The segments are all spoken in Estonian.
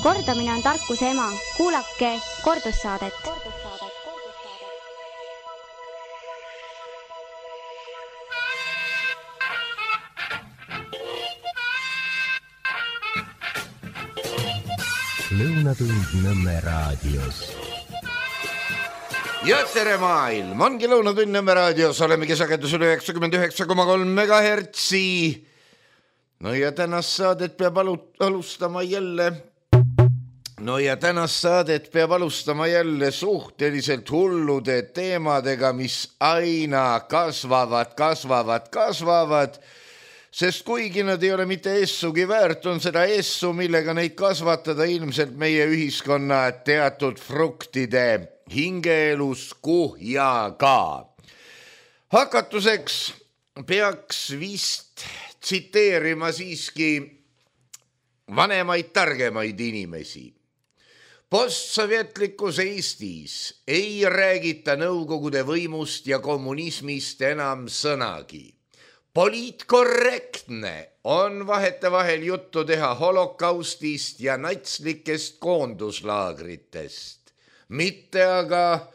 Kordamine on tarkuse ema. Kuulake kordussaadet. Lõunatund Nõmme raadios. Ja tere maailm, ongi Lõunatund Nõmme raadios, olemegi sagedusel 99,3 megahertsi. No ja tänast saadet peab alustama jälle suhteliselt hullude teemadega, mis aina kasvavad. Sest kuigi nad ei ole mitte essugi väärt, on seda essu, millega neid kasvatada ilmselt meie ühiskonna teatud fruktide hingeelus kuhjaga. Hakatuseks peaks vist tsiteerima siiski vanemaid targemaid inimesi. Postsovjetlikus Eestis ei räägita nõukogude võimust ja kommunismist enam sõnagi. Poliitkorrektne on vahetevahel juttu teha holokaustist ja natslikest koonduslaagritest, mitte aga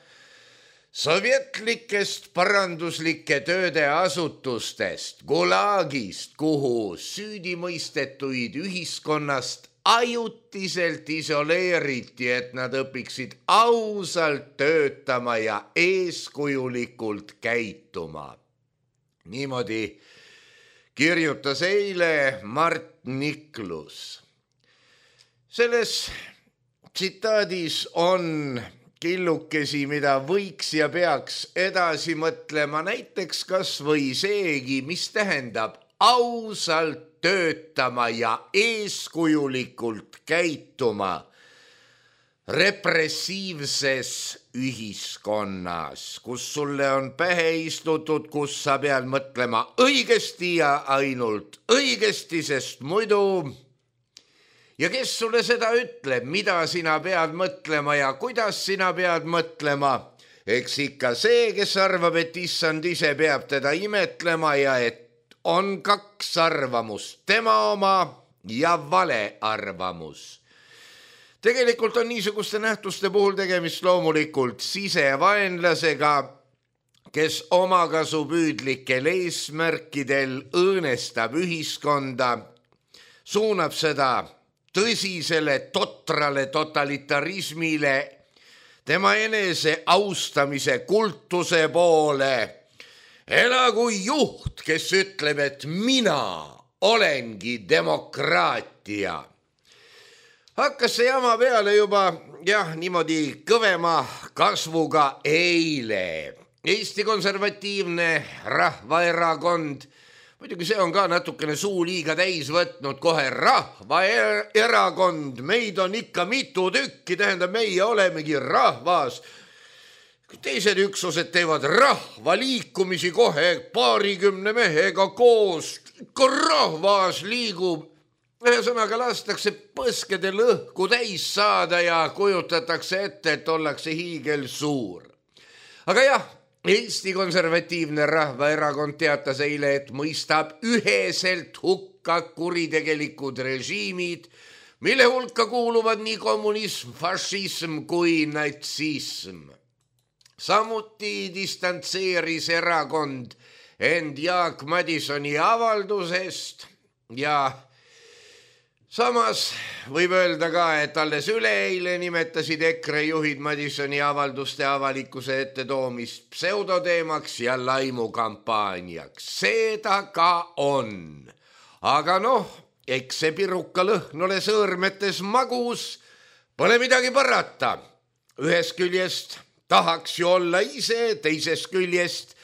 sovjetlikest paranduslike tööde asutustest, gulagist, kuhu süüdimõistetuid ühiskonnast ajutiselt isoleeriti, et nad õpiksid ausalt töötama ja eeskujulikult käituma. Niimoodi kirjutas eile Mart Niklus. Selles tsitaadis on killukesi, mida võiks ja peaks edasi mõtlema, näiteks kas või seegi, mis tähendab ausalt töötama ja eeskujulikult käituma repressiivses ühiskonnas, kus sulle on pähe istutud, kus sa pead mõtlema õigesti ja ainult õigesti, sest muidu. Ja kes sulle seda ütleb, mida sina pead mõtlema ja kuidas sina pead mõtlema? Eks ikka see, kes arvab, et issand ise peab teda imetlema ja et on kaks arvamust, tema oma ja vale arvamus. Tegelikult on niisuguste nähtuste puhul tegemist loomulikult sisevaenlasega, kes omakasupüüdlikel eesmärkidel õõnestab ühiskonda, suunab seda tõsisele totrale totalitarismile, tema enese austamise kultuse poole. Elagu juht, kes ütleb, et mina olengi demokraatia. Hakkas see jama peale juba, niimoodi kõvema kasvuga eile. Eesti Konservatiivne Rahvaerakond, muidugi see on ka natukene suu liiga täis võtnud kohe Rahvaerakond, meid on ikka mitu tükki, tähendab meie olemegi rahvas. Teised üksused teevad rahvaliikumisi kohe 20 mehega koos, ikka rahvas liigub. Ühesõnaga lastakse põskedel õhku täis saada ja kujutatakse ette, et ollakse hiigel suur. Aga jah, Eesti Konservatiivne Rahvaerakond teatas eile, et mõistab üheselt hukka kuritegelikud režiimid, mille hulka kuuluvad nii kommunism, fašism kui natsism. Samuti distantseeris erakond end Jaak Madisoni avaldusest ja samas võib öelda ka, et alles üleeile nimetasid EKRE juhid Madisoni avalduste avalikkuse ette toomist pseudoteemaks ja laimukampaaniaks. Seda ka on. Aga eks see piruka lõhn ole sõõrmetes magus, pole midagi parata. Ühest küljest tahaks ju olla ise, teisest küljest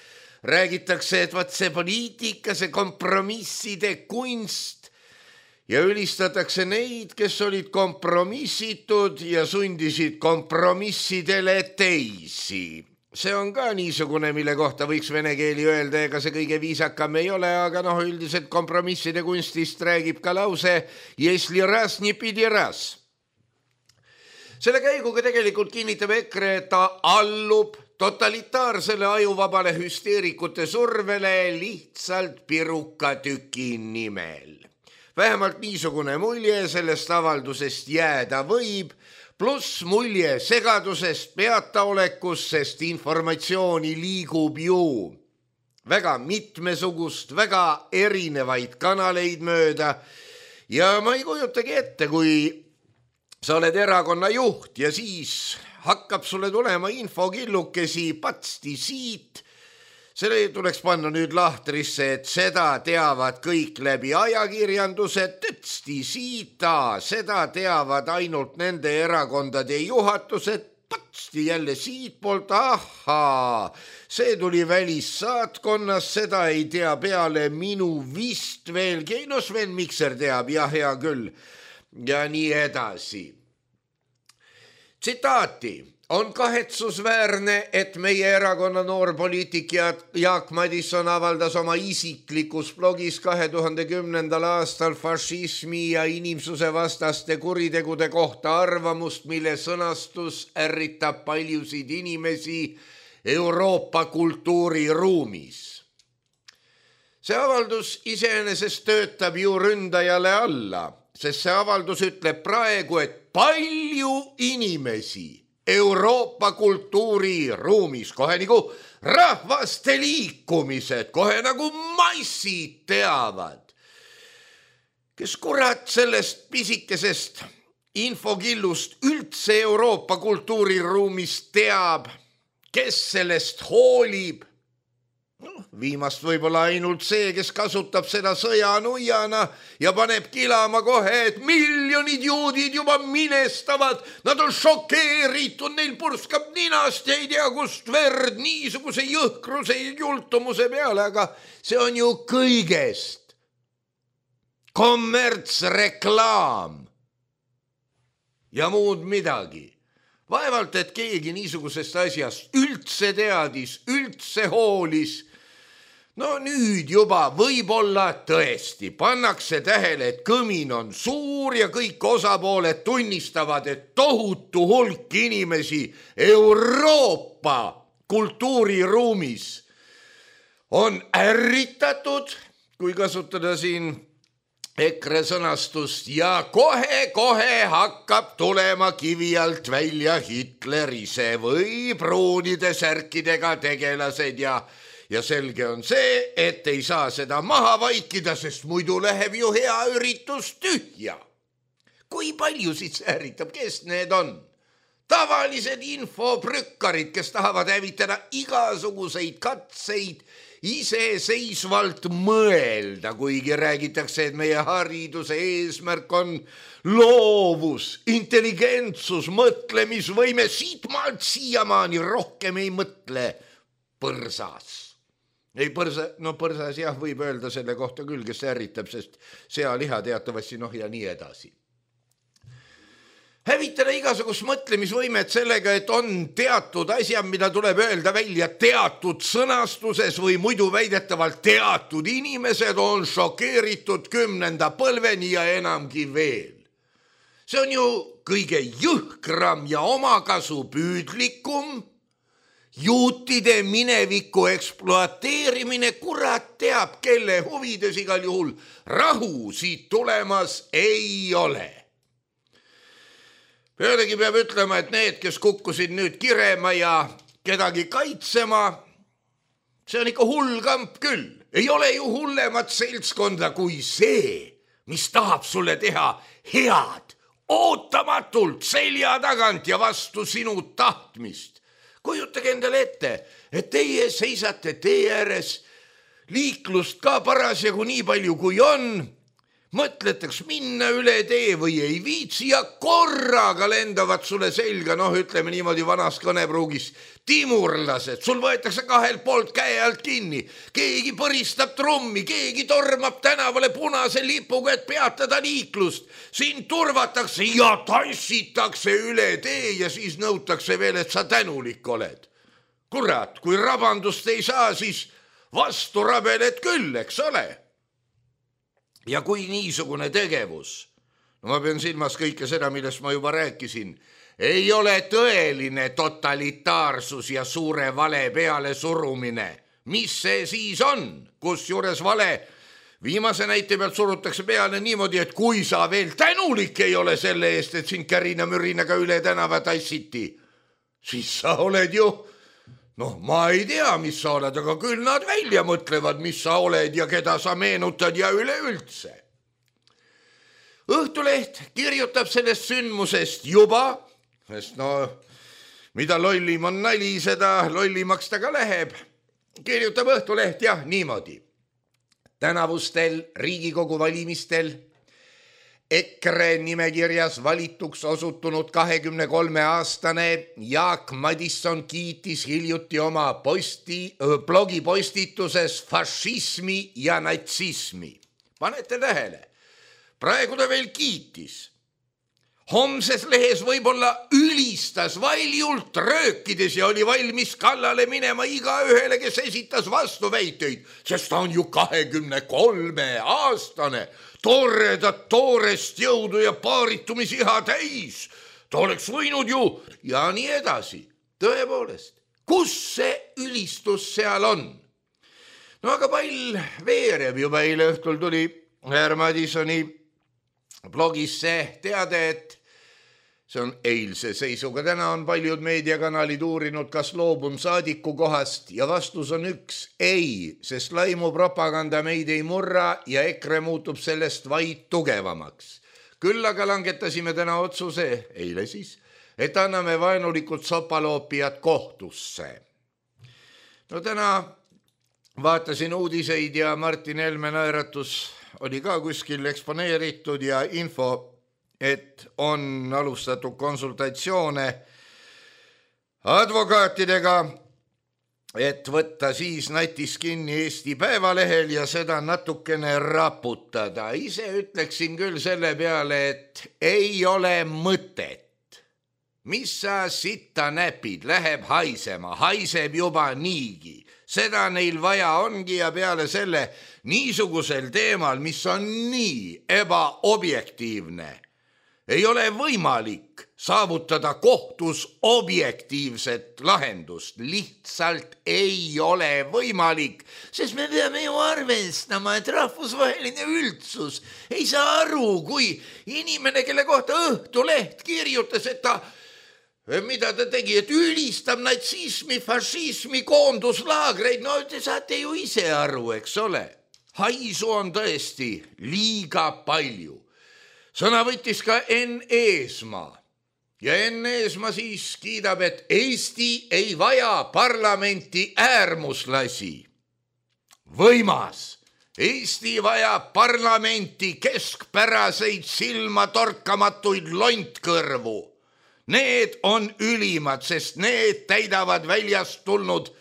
räägitakse, et vaat see poliitika, see kompromisside kunst, ja ülistatakse neid, kes olid kompromissitud ja sundisid kompromissidele teisi. See on ka niisugune, mille kohta võiks vene keeli öelda, ega see kõige viisakam ei ole, aga üldiselt kompromisside kunstist räägib ka lause "Если раз, не pidi раз". Selle käiguga tegelikult kinnitab EKRE, et ta allub totalitaarsele ajuvabale hüsteerikute survele lihtsalt pirukatüki nimel. vähemalt niisugune mulje sellest avaldusest jääda võib, pluss mulje segadusest, peataolekust, sest informatsiooni liigub ju väga mitmesugust, väga erinevaid kanaleid mööda ja ma ei kujutagi ette, kui sa oled erakonna juht ja siis hakkab sulle tulema infokillukesi patsti siit. Selle tuleks panna nüüd lahtrisse, et seda teavad kõik läbi ajakirjanduse, tõtsti siita, seda teavad ainult nende erakondade juhatused, patsti jälle siitpoolt, ahaa, see tuli välissaatkonnas, seda ei tea peale minu vist veelgi, no Sven Mikser teab, jah, hea küll, ja nii edasi. Tsitaati. On kahetsusväärne, et meie erakonna noorpoliitik Jaak Madison avaldas oma isiklikus blogis 2010. aastal fašismi ja inimsuse vastaste kuritegude kohta arvamust, mille sõnastus ärritab paljusid inimesi Euroopa kultuuriruumis. See avaldus iseenesest töötab ju ründajale alla, sest see avaldus ütleb praegu, et palju inimesi Euroopa kultuuriruumis, kohe nagu rahvaste liikumised, kohe nagu massid teavad. Kes kurat sellest pisikesest infokillust üldse Euroopa kultuuriruumis teab, kes sellest hoolib? Viimast võib-olla ainult see, kes kasutab seda sõjanuiana ja paneb kilama kohe, et miljonid juudid juba minestavad, nad on šokeeritud, neil purskab ninast ja ei tea kust verd niisuguse jõhkruse ja jultumuse peale, aga see on ju kõigest kommertsreklaam ja muud midagi. Vaevalt, et keegi niisugusest asjast üldse teadis, üldse hoolis. No nüüd juba võib-olla tõesti pannakse tähele, et kõmin on suur ja kõik osapooled tunnistavad, et tohutu hulk inimesi Euroopa kultuuriruumis on ärritatud, kui kasutada siin EKRE sõnastust, ja kohe hakkab tulema kivi alt välja Hitler ise või pruunide särkidega tegelased ja selge on see, et ei saa seda maha vaikida, sest muidu läheb ju hea üritus tühja. Kui paljusid see ärritab, kes need on? Tavalised infoprükkarid, kes tahavad hävitada igasuguseid katseid iseseisvalt mõelda, kuigi räägitakse, et meie hariduse eesmärk on loovus, intelligentsus, mõtlemisvõime, siitmaalt siiamaani rohkem ei mõtle põrsas. Ei põrsas jah, võib öelda selle kohta küll, kes ärritab, sest sealiha teatavasti ja nii edasi. Hävitada igasugust mõtlemisvõimet sellega, et on teatud asjad, mida tuleb öelda välja teatud sõnastuses või muidu väidetavalt teatud inimesed on šokeeritud 10. põlveni ja enamgi veel. See on ju kõige jõhkram ja omakasu püüdlikum juutide mineviku ekspluateerimine, kurat teab, kelle huvides igal juhul rahu siit tulemas ei ole. Pealegi peab ütlema, et need, kes kukkusid nüüd kirema ja kedagi kaitsema, see on ikka hull kamp küll. Ei ole ju hullemat seltskonda kui see, mis tahab sulle teha head, ootamatult selja tagant ja vastu sinu tahtmist. Kujutage endale ette, et teie seisate tee ääres, liiklust ka parasjagu nii palju kui on, mõtletaks minna üle tee või ei viitsi ja korraga lendavad sulle selga, ütleme niimoodi vanas kõnepruugis, timurlased, sul võetakse kahelt poolt käe alt kinni, keegi põristab trummi, keegi tormab tänavale punase lipuga, et peatada liiklust, sind turvatakse ja tantsitakse üle tee ja siis nõutakse veel, et sa tänulik oled. Kurat, kui rabandust ei saa, siis vastu rabeled küll, eks ole? Ja kui niisugune tegevus, ma pean silmas kõike seda, millest ma juba rääkisin, ei ole tõeline totalitaarsus ja suure vale peale surumine. Mis see siis on? Kusjuures vale Viimase näite pealt surutakse peale niimoodi, et kui sa veel tänulik ei ole selle eest, et sind kärina-mürinaga üle tänava tassiti, siis sa oled ju, ma ei tea, mis sa oled, aga küll nad välja mõtlevad, mis sa oled ja keda sa meenutad ja üleüldse. Õhtuleht kirjutab sellest sündmusest juba, sest mida lollim on nali, seda lollimaks ta ka läheb. Kirjutab Õhtuleht niimoodi. Tänavustel Riigikogu valimistel EKRE nimekirjas valituks osutunud 23-aastane Jaak Madison kiitis hiljuti oma blogipostituses fašismi ja natsismi. Panete tähele, praegu ta veel kiitis. Homses lehes võib-olla ülistas valjult röökides ja oli valmis kallale minema igaühele, kes esitas vastuväiteid, sest ta on ju 23-aastane, toorest jõudu ja paarittumisiha täis. Ta oleks võinud ju ja nii edasi. Tõepoolest, kus see ülistus seal on? Aga pall veereb juba eile õhtul tuli härra Madisoni blogisse teade, et see on eilse seisuga. Täna on paljud meediakanalid uurinud, kas loobun saadiku kohast ja vastus on üks ei, sest laimupropaganda meid ei murra ja EKRE muutub sellest vaid tugevamaks. Küll aga langetasime täna otsuse, eile siis, et anname vaenulikud sopaloopijad kohtusse. Täna vaatasin uudiseid ja Martin Helme naeratus oli ka kuskil eksponeeritud ja info, et on alustatud konsultatsioone advokaatidega, et võtta siis natis kinni Eesti Päevalehel ja seda natukene raputada. Ise ütleksin küll selle peale, et ei ole mõtet. Mis sa sitta näpid, läheb haisema, haiseb juba niigi. Seda neil vaja ongi ja peale selle niisugusel teemal, mis on nii ebaobjektiivne, ei ole võimalik saavutada kohtus objektiivset lahendust. Lihtsalt ei ole võimalik, sest me peame ju arvestama, et rahvusvaheline üldsus ei saa aru, kui inimene, kelle kohta Õhtuleht kirjutas, et mida ta tegi, et ülistab natsismi, fašismi, koonduslaagreid. Te saate ju ise aru, eks ole. Haisu on tõesti liiga palju. Sõna võttis ka Enn Eesmaa ja Enn Eesmaa siis kiidab, et Eesti ei vaja parlamenti äärmuslasi. Võimas. Eesti vajab parlamenti keskpäraseid silmatorkamatuid lontkõrvu. Need on ülimad, sest need täidavad väljast tulnud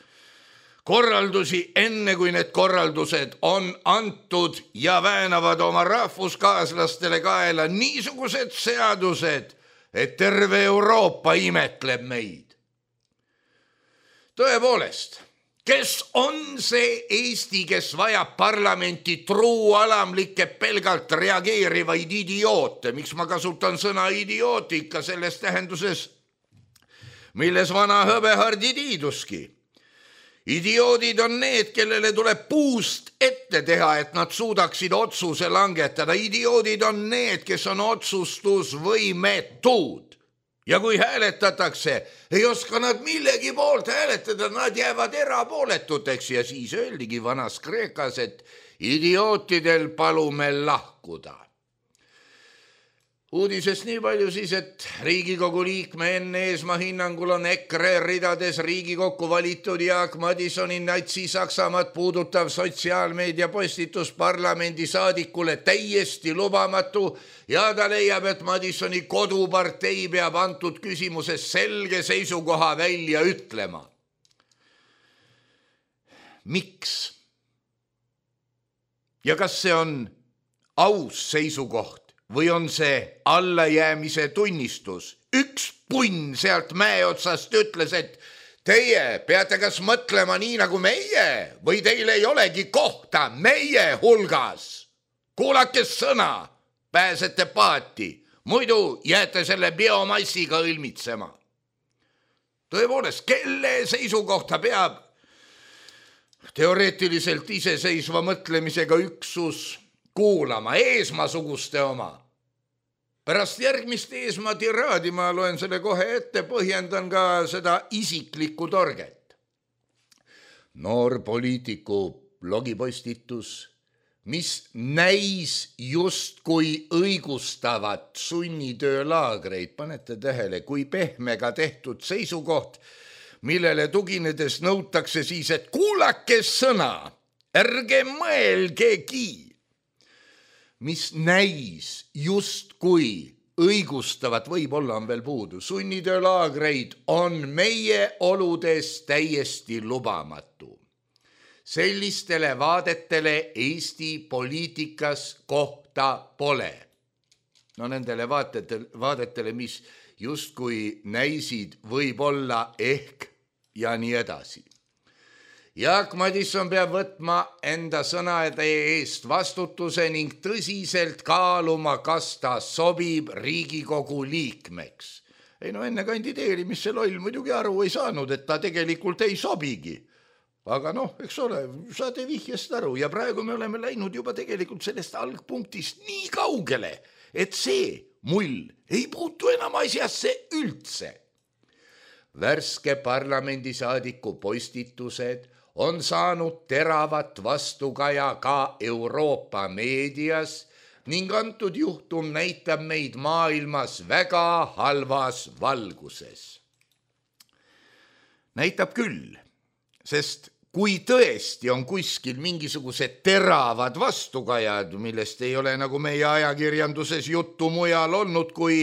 korraldusi enne, kui need korraldused on antud ja väänavad oma rahvuskaaslastele kaela niisugused seadused, et terve Euroopa imetleb meid. Tõepoolest, kes on see Eesti, kes vajab parlamenti truualamlikke pelgalt reageerivaid idioote? Miks ma kasutan sõna idiootika selles tähenduses, milles vana hõbehardi tiiduski? Idioodid on need, kellele tuleb puust ette teha, et nad suudaksid otsuse langetada. Idioodid on need, kes on otsustusvõimetud. Ja kui hääletatakse, ei oska nad millegi poolt hääletada, nad jäävad erapooletuteks ja siis öeldigi vanas Kreekas, et idiootidel palume lahkuda. Uudisest nii palju siis, et Riigikogu liikme Enn Eesmaa hinnangul on EKRE ridades Riigikokku valitud Jaak Madisoni natsi-Saksamaad puudutav sotsiaalmeedia postitus parlamendi saadikule täiesti lubamatu ja ta leiab, et Madisoni kodupartei peab antud küsimuses selge seisukoha välja ütlema. Miks? Ja kas see on aus seisukoht? Või on see allajäämise tunnistus? Üks punn sealt mäe otsast ütles, et teie peate kas mõtlema nii nagu meie või teil ei olegi kohta meie hulgas. Kuulake sõna, pääsete paati, muidu jääte selle biomassiga õlmitsema. Tõepoolest, kelle seisukohta peab teoreetiliselt iseseisva mõtlemisega üksus kuulama Eesmaa-suguste oma. Pärast järgmist Eesmaa tiraadi ma loen selle kohe ette, põhjendan ka seda isiklikku torget. Noor poliitiku blogipostitus, mis näis justkui õigustavat sunnitöölaagreid. Panete tähele, kui pehmega tehtud seisukoht, millele tuginedes nõutakse siis, et kuulake sõna, ärge mõelgegi. Mis näis justkui õigustavat, võib-olla on veel puudu. Sunnitöölaagreid on meie oludes täiesti lubamatu. Sellistele vaadetele Eesti poliitikas kohta pole. No nendele vaadetele, mis justkui näisid võib-olla ehk ja nii edasi. Jaak Madison peab võtma enda sõnade eest vastutuse ning tõsiselt kaaluma, kas ta sobib Riigikogu liikmeks. Ei no enne kandideerimist see loll muidugi aru ei saanud, et ta tegelikult ei sobigi. Aga noh, eks ole, saate vihjest aru ja praegu me oleme läinud juba tegelikult sellest algpunktist nii kaugele, et see mull ei puutu enam asjasse üldse. Värske parlamendisaadiku postitused on saanud teravat vastukaja ka Euroopa meedias ning antud juhtum näitab meid maailmas väga halvas valguses. Näitab küll, sest kui tõesti on kuskil mingisugused teravad vastukajad, millest ei ole nagu meie ajakirjanduses juttu mujal olnud, kui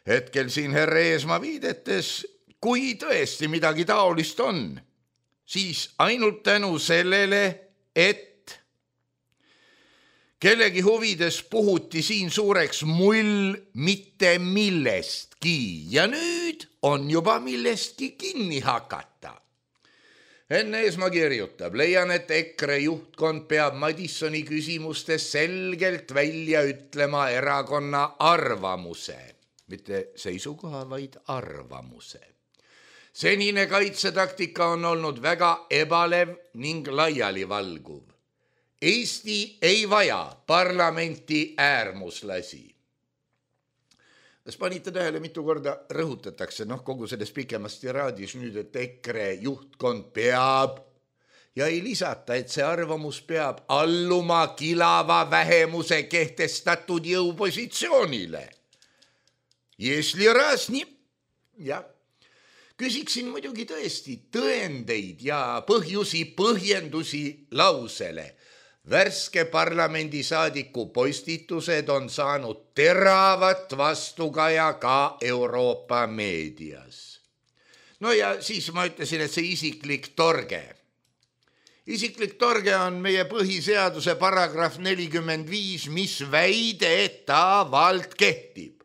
hetkel siin härra Eesmaa viidetes, kui tõesti midagi taolist on, siis ainult tänu sellele, et kellegi huvides puhuti siin suureks mull mitte millestki ja nüüd on juba millestki kinni hakata. Enne Eesmaa kirjutab, leian, et EKRE juhtkond peab Madisoni küsimustes selgelt välja ütlema erakonna arvamuse, mitte seisukoha, vaid arvamuse. Senine kaitsetaktika on olnud väga ebalev ning laialivalguv. Eesti ei vaja parlamenti äärmuslasi. Kas panite tähele, mitu korda rõhutatakse, kogu selles pikemast tiraadis nüüd, et EKRE juhtkond peab ja ei lisata, et see arvamus peab alluma kilava vähemuse kehtestatud jõupositsioonile. Jesli raz nii, jah. Küsiksin muidugi tõesti tõendeid ja põhjendusi lausele. Värske parlamendisaadiku postitused on saanud teravat vastukaja ka Euroopa meedias. No ja siis ma ütlesin, et see isiklik torge. Isiklik torge on meie põhiseaduse paragrahv 45, mis väidetavalt kehtib.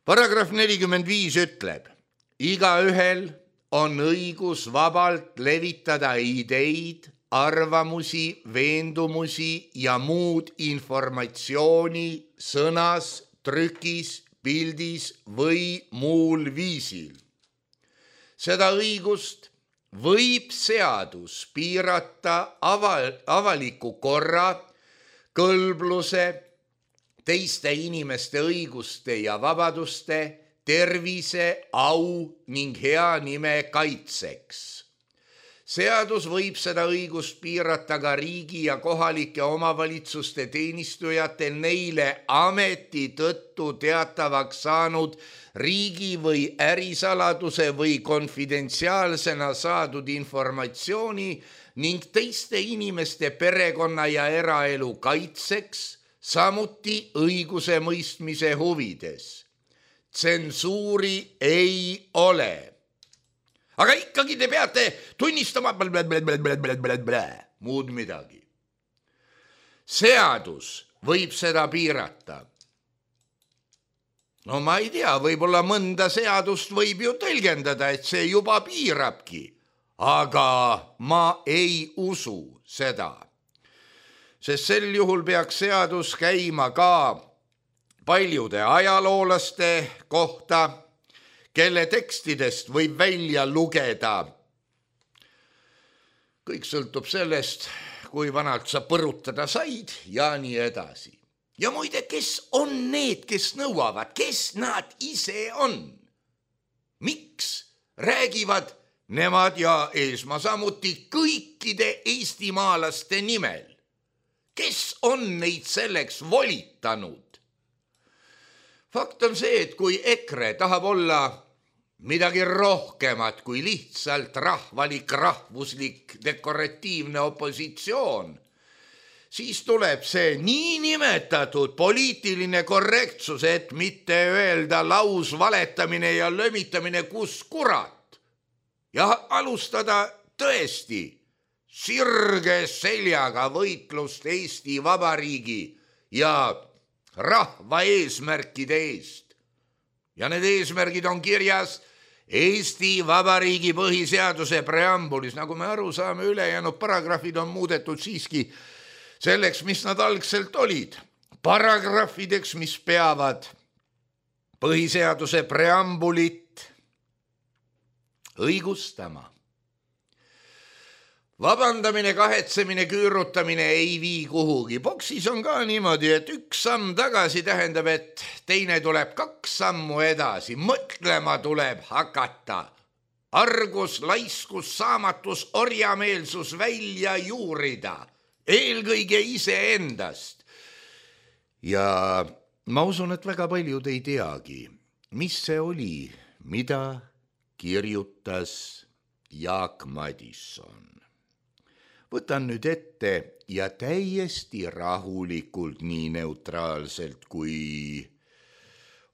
Paragrahv 45 ütleb, igaühel on õigus vabalt levitada ideid, arvamusi, veendumusi ja muud informatsiooni sõnas, trükis, pildis või muul viisil. Seda õigust võib seadus piirata avaliku korra, kõlbluse, teiste inimeste õiguste ja vabaduste, tervise, au ning hea nime kaitseks. Seadus võib seda õigust piirata ka riigi ja kohalike omavalitsuste teenistujatel neile ameti tõttu teatavaks saanud riigi või ärisaladuse või konfidentsiaalsena saadud informatsiooni ning teiste inimeste perekonna ja eraelu kaitseks, samuti õiguse mõistmise huvides. Tsensuuri ei ole. Aga ikkagi te peate tunnistama muud midagi. Seadus võib seda piirata. No ma ei tea, võib-olla mõnda seadust võib ju tõlgendada, et see juba piirabki. Aga ma ei usu seda. Sest sel juhul peaks seadus käima ka paljude ajaloolaste kohta, kelle tekstidest võib välja lugeda, kõik sõltub sellest, kui vanalt sa põrutada said ja nii edasi. Ja muide, kes on need, kes nõuavad, kes nad ise on? Miks räägivad nemad ja Eesmaa samuti kõikide eestimaalaste nimel? Kes on neid selleks volitanud? Fakt on see, et kui EKRE tahab olla midagi rohkemat kui lihtsalt rahvuslik dekoratiivne opositsioon, siis tuleb see niinimetatud poliitiline korrektsus, et mitte öelda lausvaletamine ja lömitamine kus kurat ja alustada tõesti sirge seljaga võitlust Eesti Vabariigi ja rahva eesmärkide eest. Ja need eesmärgid on kirjas Eesti Vabariigi põhiseaduse preambulis. Nagu me aru saame, ülejäänud paragrahvid on muudetud siiski selleks, mis nad algselt olid. Paragrahvideks, mis peavad põhiseaduse preambulit õigustama. Vabandamine, kahetsemine, küürutamine ei vii kuhugi. Boksis on ka niimoodi, et üks samm tagasi tähendab, et teine tuleb 2 sammu edasi. Mõtlema tuleb hakata. Argus, laiskus, saamatus, orjameelsus välja juurida. Eelkõige iseendast. Ja ma usun, et väga paljud ei teagi, mis see oli, mida kirjutas Jaak Madison. Võtan nüüd ette ja täiesti rahulikult, nii neutraalselt kui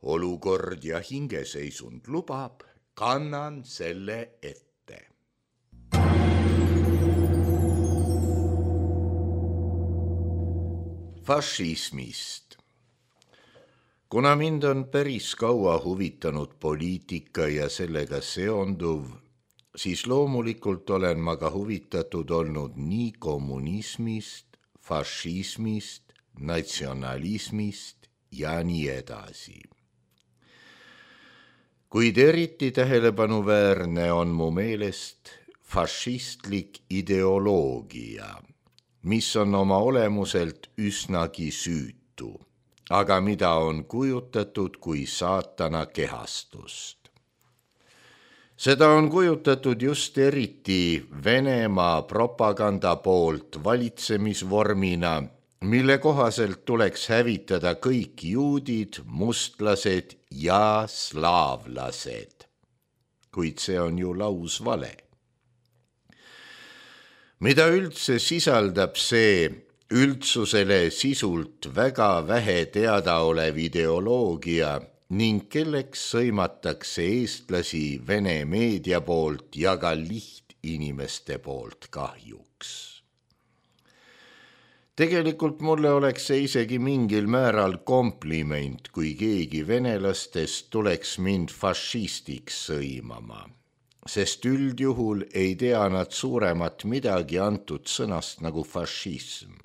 olukord ja hingeseisund lubab, kannan selle ette. Fašismist. Kuna mind on päris kaua huvitanud poliitika ja sellega seonduv, siis loomulikult olen ma ka huvitatud olnud nii kommunismist, fašismist, natsionalismist ja nii edasi. Kuid eriti tähelepanuväärne on mu meelest fašistlik ideoloogia, mis on oma olemuselt üsnagi süütu, aga mida on kujutatud kui saatana kehastust. Seda on kujutatud just eriti Venemaa propaganda poolt valitsemisvormina, mille kohaselt tuleks hävitada kõik juudid, mustlased ja slaavlased. Kuid see on ju lausvale. Mida üldse sisaldab see üldsusele sisult väga vähe teadaolev ideoloogia ning kelleks sõimatakse eestlasi Vene meedia poolt ja ka lihtinimeste poolt kahjuks. Tegelikult mulle oleks see isegi mingil määral kompliment, kui keegi venelastest tuleks mind fašistiks sõimama, sest üldjuhul ei tea nad suuremat midagi antud sõnast nagu fašism.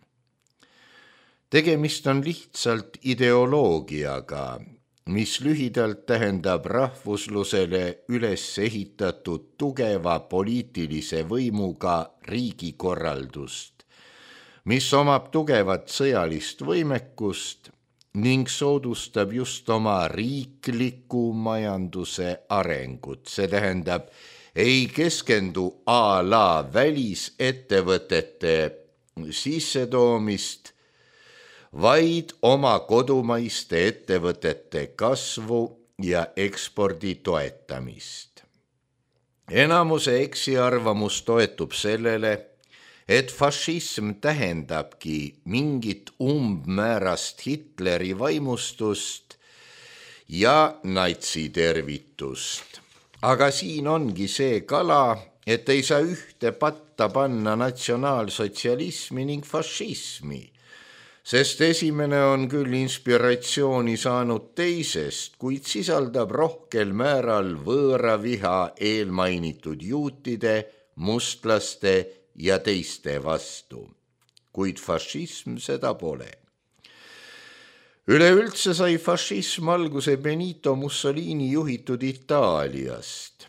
Tegemist on lihtsalt ideoloogiaga, mis lühidalt tähendab rahvuslusele üles ehitatud tugeva poliitilise võimuga riigikorraldust, mis omab tugevat sõjalist võimekust ning soodustab just oma riikliku majanduse arengut. See tähendab, ei keskendu a la välisettevõtete sissetoomist, vaid oma kodumaiste ettevõtete kasvu ja ekspordi toetamist. Enamuse eksiarvamus toetub sellele, et fašism tähendabki mingit umbmäärast Hitleri vaimustust ja natsitervitust. Aga siin ongi see kala, et ei saa ühte patta panna natsionaalsotsialismi ning fašismi, sest esimene on küll inspiratsiooni saanud teisest, kuid sisaldab rohkel määral võõraviha eelmainitud juutide, mustlaste ja teiste vastu. Kuid fašism seda pole. Üleüldse sai fašism alguse Benito Mussolini juhitud Itaaliast,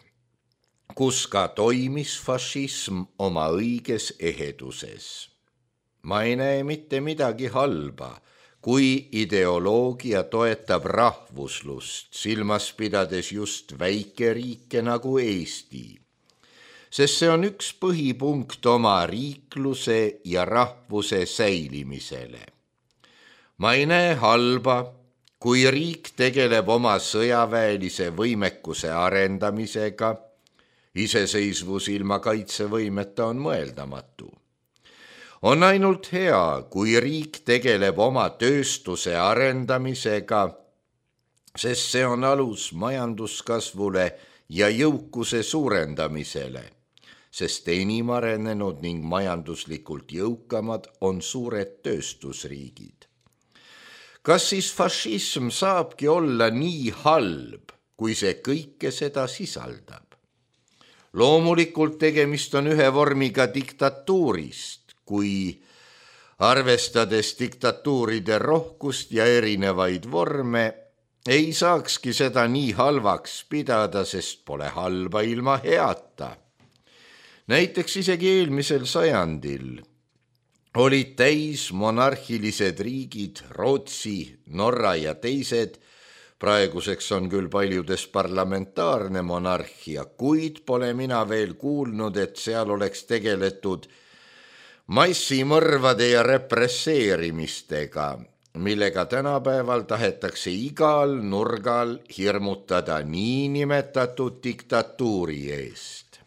kus ka toimis fašism oma õiges eheduses. Ma ei näe mitte midagi halba, kui ideoloogia toetab rahvuslust, silmas pidades just väikeriike nagu Eesti, sest see on üks põhipunkt oma riikluse ja rahvuse säilimisele. Ma ei näe halba, kui riik tegeleb oma sõjaväelise võimekuse arendamisega, iseseisvus ilma kaitsevõimeta on mõeldamatu. On ainult hea, kui riik tegeleb oma tööstuse arendamisega, sest see on alus majanduskasvule ja jõukuse suurendamisele, sest enim arenenud ning majanduslikult jõukamad on suured tööstusriigid. Kas siis fašism saabki olla nii halb, kui see kõike seda sisaldab? Loomulikult tegemist on ühe vormiga diktatuurist, kui arvestades diktatuuride rohkust ja erinevaid vorme, ei saakski seda nii halvaks pidada, sest pole halba ilma heata. Näiteks isegi eelmisel sajandil olid täis monarhilised riigid, Rootsi, Norra ja teised, praeguseks on küll paljudes parlamentaarne monarhia, kuid pole mina veel kuulnud, et seal oleks tegeletud massimõrvade ja represseerimistega, millega tänapäeval tahetakse igal nurgal hirmutada niinimetatud diktatuuri eest.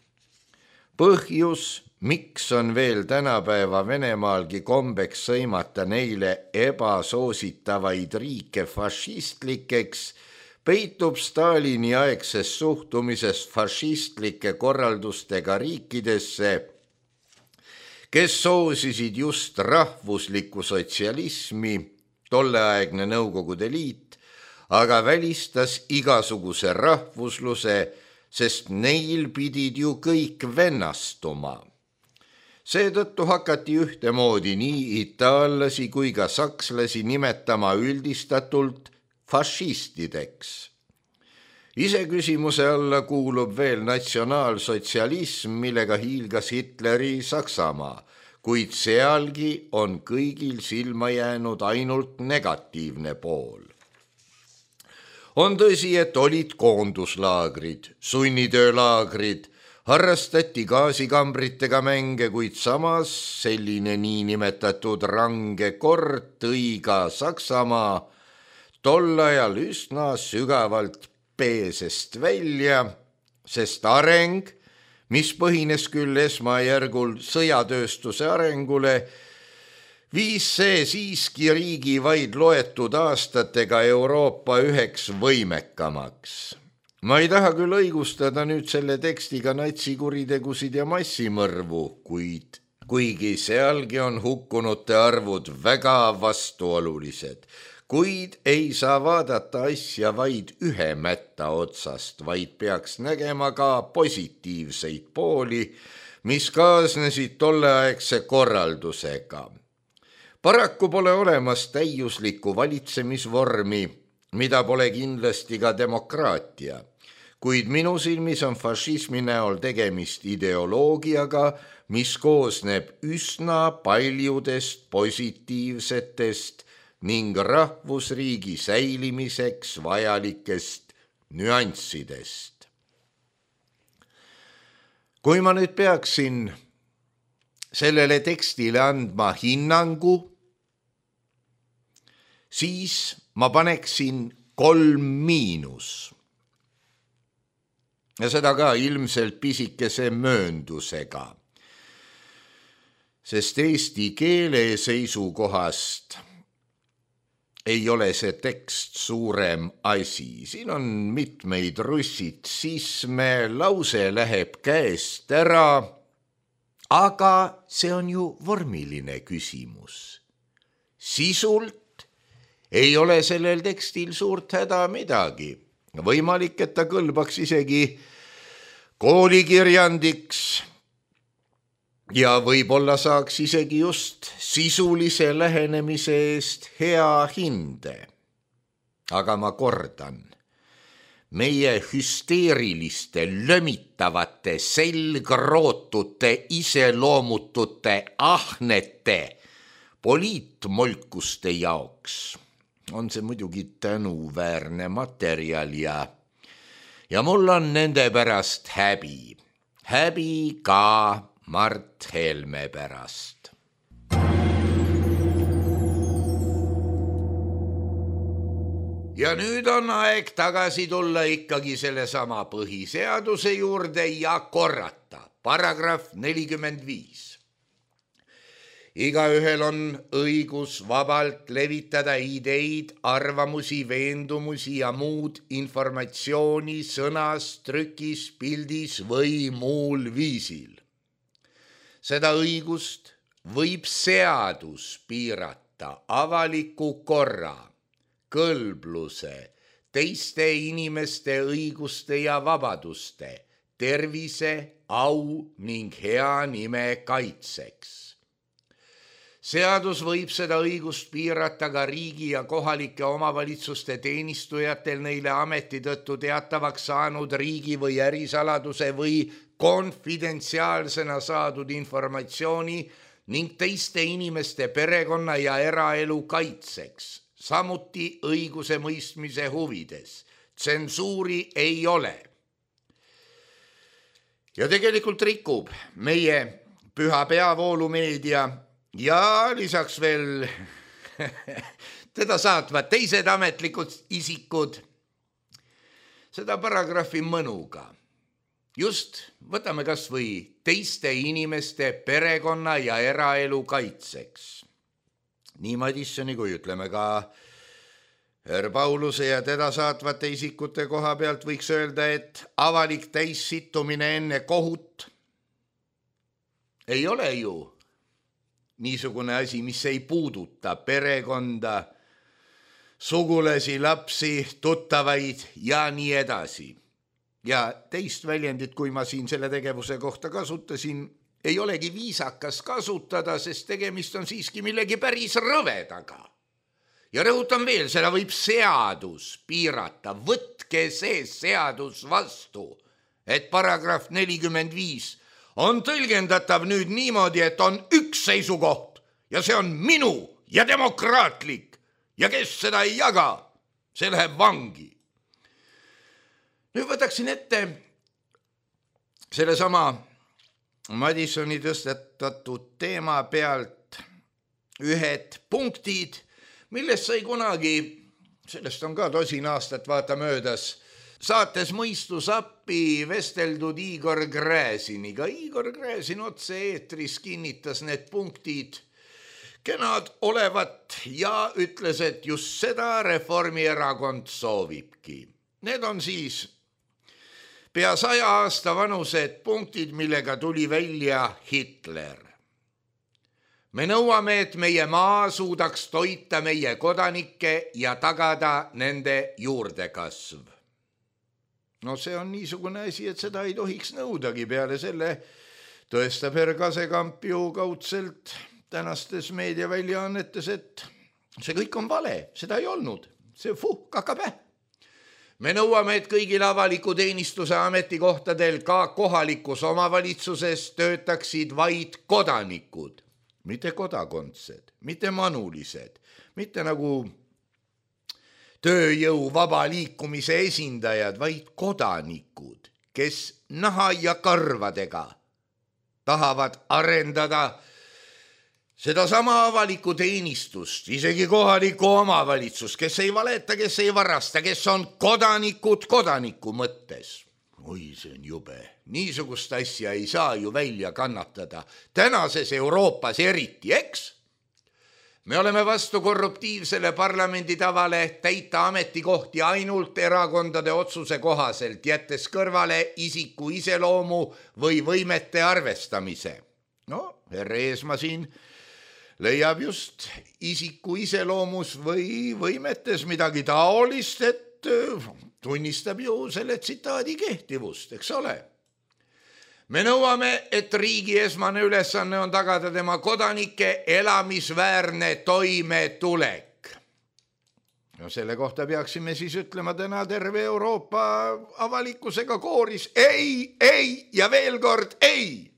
Põhjus, miks on veel tänapäeva Venemaalgi kombeks sõimata neile ebasoositavaid riike fašistlikeks, peitub Stalini aegses suhtumises fašistlike korraldustega riikidesse, kes soosisid just rahvuslikku sotsialismi, tolleaegne Nõukogude Liit, aga välistas igasuguse rahvusluse, sest neil pidid ju kõik vennastuma. Seetõttu hakati ühtemoodi nii itaallasi kui ka sakslasi nimetama üldistatult fašistideks. Iseküsimuse alla kuulub veel natsionaalsotsialism, millega hiilgas Hitleri Saksamaa, kuid sealgi on kõigil silma jäänud ainult negatiivne pool. On tõsi, et olid koonduslaagrid, sunnitöölaagrid, harrastati gaasikambritega mänge, kuid samas selline niinimetatud range kord tõi ka Saksamaa tol ajal üsna sügavalt peesest välja, sest areng, mis põhines küll esmajärgul sõjatööstuse arengule, viis see siiski riigi vaid loetud aastatega Euroopa üheks võimekamaks. Ma ei taha küll õigustada nüüd selle tekstiga natsikuritegusid ja massimõrvu, kuigi sealgi on hukkunute arvud väga vastuolulised, kuid ei saa vaadata asja vaid ühe mätta otsast, vaid peaks nägema ka positiivseid pooli, mis kaasnesid tolleaegse korraldusega. Paraku pole olemas täiuslikku valitsemisvormi, mida pole kindlasti ka demokraatia, kuid minu silmis on fašismi näol tegemist ideoloogiaga, mis koosneb üsna paljudest positiivsetest ning rahvusriigi säilimiseks vajalikest nüanssidest. Kui ma nüüd peaksin sellele tekstile andma hinnangu, siis ma paneksin 3-. Ja seda ka ilmselt pisikese mööndusega, sest eesti keele seisukohast ei ole see tekst suurem asi. Siin on mitmeid russitsisme, lause läheb käest ära, aga see on ju vormiline küsimus. Sisult ei ole sellel tekstil suurt häda midagi. Võimalik, et ta kõlbaks isegi koolikirjandiks ja võib-olla saaks isegi just sisulise lähenemise eest hea hinde. Aga ma kordan, meie hüsteeriliste, lömitavate, selgrootute, iseloomutute, ahnete poliitmolkuste jaoks on see muidugi tänuväärne materjal ja mul on nende pärast häbi. Häbi ka Mart Helme pärast. Ja nüüd on aeg tagasi tulla ikkagi sellesama põhiseaduse juurde ja korrata. Paragrahv 45. Igaühel on õigus vabalt levitada ideid, arvamusi, veendumusi ja muud informatsiooni sõnas, trükis, pildis või muul viisil. Seda õigust võib seadus piirata avaliku korra, kõlbluse, teiste inimeste õiguste ja vabaduste, tervise, au ning hea nime kaitseks. Seadus võib seda õigust piirata ka riigi ja kohalike omavalitsuste teenistujatel neile ameti tõttu teatavaks saanud riigi või ärisaladuse või konfidentsiaalsena saadud informatsiooni ning teiste inimeste perekonna ja eraelu kaitseks, samuti õiguse mõistmise huvides. Tsensuuri ei ole. Ja tegelikult rikub meie püha peavoolumeedia ja lisaks veel teda saatvad teised ametlikud isikud seda paragrahvi mõnuga. Just võtame kas või teiste inimeste perekonna ja eraelu kaitseks. Nii Madissoni kui ütleme ka Herr Pauluse ja teda saatvate isikute koha pealt võiks öelda, et avalik täissittumine enne kohut ei ole ju niisugune asi, mis ei puuduta perekonda, sugulasi, lapsi, tuttavaid ja nii edasi. Ja teist väljendit, kui ma siin selle tegevuse kohta kasutasin, ei olegi viisakas kasutada, sest tegemist on siiski millegi päris rõvedaga. Ja rõhutan veel, seda võib seadus piirata. Võtke see seadus vastu, et paragrahv 45 on tõlgendatav nüüd niimoodi, et on üks seisukoht ja see on minu ja demokraatlik ja kes seda ei jaga, see läheb vangi. Nüüd võtaksin ette sellesama Madissoni tõstetatud teema pealt ühed punktid, millest sai kunagi, sellest on ka 10 aastat vaata möödas, saates Mõistus appi vesteldud Igor Gräziniga. Igor Gräzin otse eetris kinnitas need punktid kenad olevat ja ütles, et just seda Reformierakond soovibki. Need on siis pea 100 aasta vanused punktid, millega tuli välja Hitler. Me nõuame, et meie maa suudaks toita meie kodanikke ja tagada nende juurdekasv. No see on niisugune asi, et seda ei tohiks nõudagi. Peale selle tõestab Herr Kasekamp ju kaudselt tänastes meediaväljaannetes, et see kõik on vale, seda ei olnud. See kakapäh. Me nõuame, et kõigil avaliku teenistuse ametikohtadel ka kohalikus omavalitsuses töötaksid vaid kodanikud, mitte kodakondsed, mitte manulised, mitte nagu tööjõu vaba liikumise esindajad, vaid kodanikud, kes naha ja karvadega tahavad arendada sedasama avalikku teenistust, isegi kohalikku omavalitsust, kes ei valeta, kes ei varasta, kes on kodanikud kodaniku mõttes. Oi, see on jube. Niisugust asja ei saa ju välja kannatada. Tänases Euroopas eriti, eks? Me oleme vastu korruptiivsele parlamendi tavale täita ametikohti ainult erakondade otsuse kohaselt, jättes kõrvale isiku iseloomu või võimete arvestamise. No, Herr Eesmaa siin leiab just isiku iseloomus või võimetes midagi taolist, et tunnistab ju selle tsitaadi kehtivust, eks ole. Me nõuame, et riigi esmane ülesanne on tagada tema kodanike elamisväärne toimetulek. No selle kohta peaksime siis ütlema täna terve Euroopa avalikkusega kooris ei ja veel kord ei.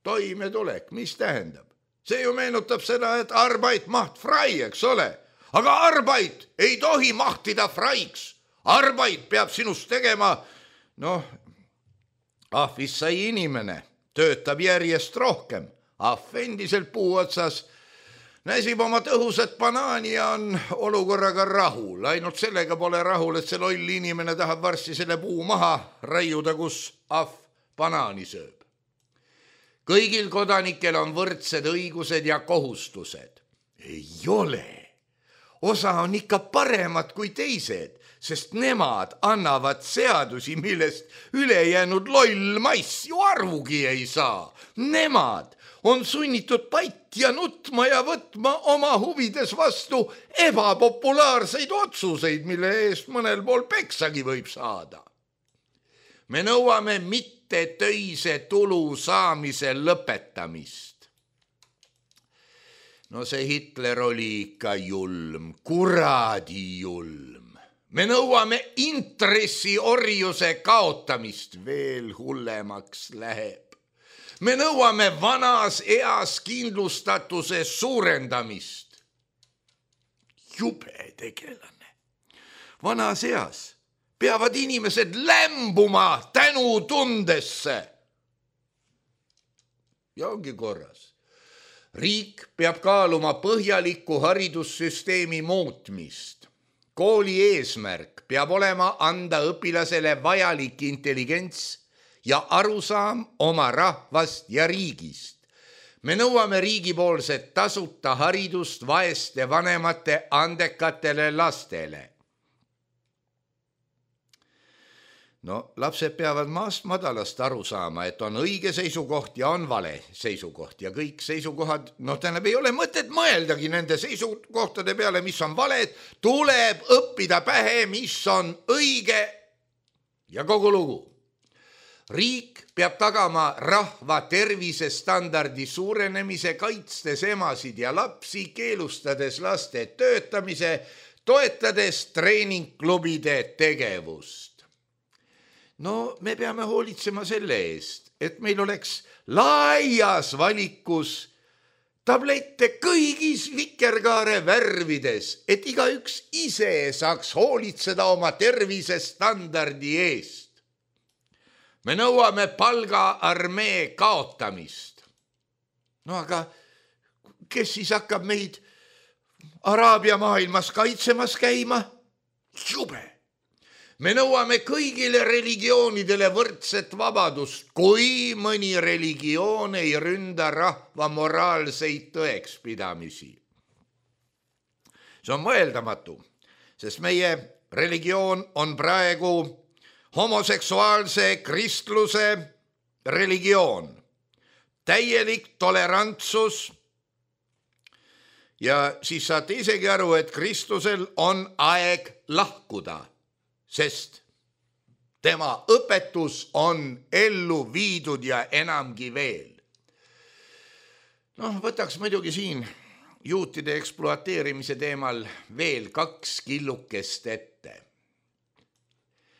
Toimetulek, mis tähendab? See ju meenutab seda, et Arbeit macht frei, eks ole. Aga Arbeit ei tohi mahtida freiks. Arbeit peab sinust tegema, ahvis sai inimene, töötab järjest rohkem. Ahv endiselt puu otsas näsib oma tõhusat banaani ja on olukorraga rahul. Ainult sellega pole rahul, et see loll inimene tahab varsti selle puu maha raiuda, kus ahv banaani sööb. Kõigil kodanikel on võrdsed õigused ja kohustused. Ei ole. Osa on ikka paremad kui teised, sest nemad annavad seadusi, millest ülejäänud loll maiss ju arvugi ei saa. Nemad on sunnitud pait ja nutma ja võtma oma huvides vastu ebapopulaarseid otsuseid, mille eest mõnel pool peksagi võib saada. Me nõuame mitte töise tulu saamise lõpetamist. No see Hitler oli ikka julm, kuradi julm. Me nõuame intressiorjuse kaotamist, veel hullemaks läheb. Me nõuame vanas eas kindlustatuse suurendamist. Jube tegelane. Vanas eas peavad inimesed lämbuma tänutundesse. Ja ongi korras. Riik peab kaaluma põhjaliku haridussüsteemi muutmist. Kooli eesmärk peab olema anda õpilasele vajalik intelligents ja arusaam oma rahvast ja riigist. Me nõuame riigipoolset tasuta haridust vaeste vanemate andekatele lastele. Lapsed peavad maast madalast aru saama, et on õige seisukoht ja on vale seisukoht ja kõik seisukohad, ei ole mõtet mõeldagi nende seisukohtade peale, mis on valed, tuleb õppida pähe, mis on õige ja kogu lugu. Riik peab tagama rahva tervisestandardi suurenemise, kaitstes emasid ja lapsi, keelustades laste töötamise, toetades treeningklubide tegevust. Me peame hoolitsema selle eest, et meil oleks laias valikus tablette kõigis vikerkaare värvides, et igaüks ise saaks hoolitseda oma tervisestandardi eest. Me nõuame palgaarmee kaotamist. Aga kes siis hakkab meid Araabia maailmas kaitsemas käima? Jube! Me nõuame kõigile religioonidele võrdset vabadust, kui mõni religioon ei ründa rahva moraalseid tõekspidamisi. See on mõeldamatu, sest meie religioon on praegu homoseksuaalse kristluse religioon, täielik tolerantsus ja siis saate isegi aru, et Kristusel on aeg lahkuda, sest tema õpetus on ellu viidud ja enamgi veel. Võtaks muidugi siin juutide ekspluateerimise teemal veel 2 killukest ette.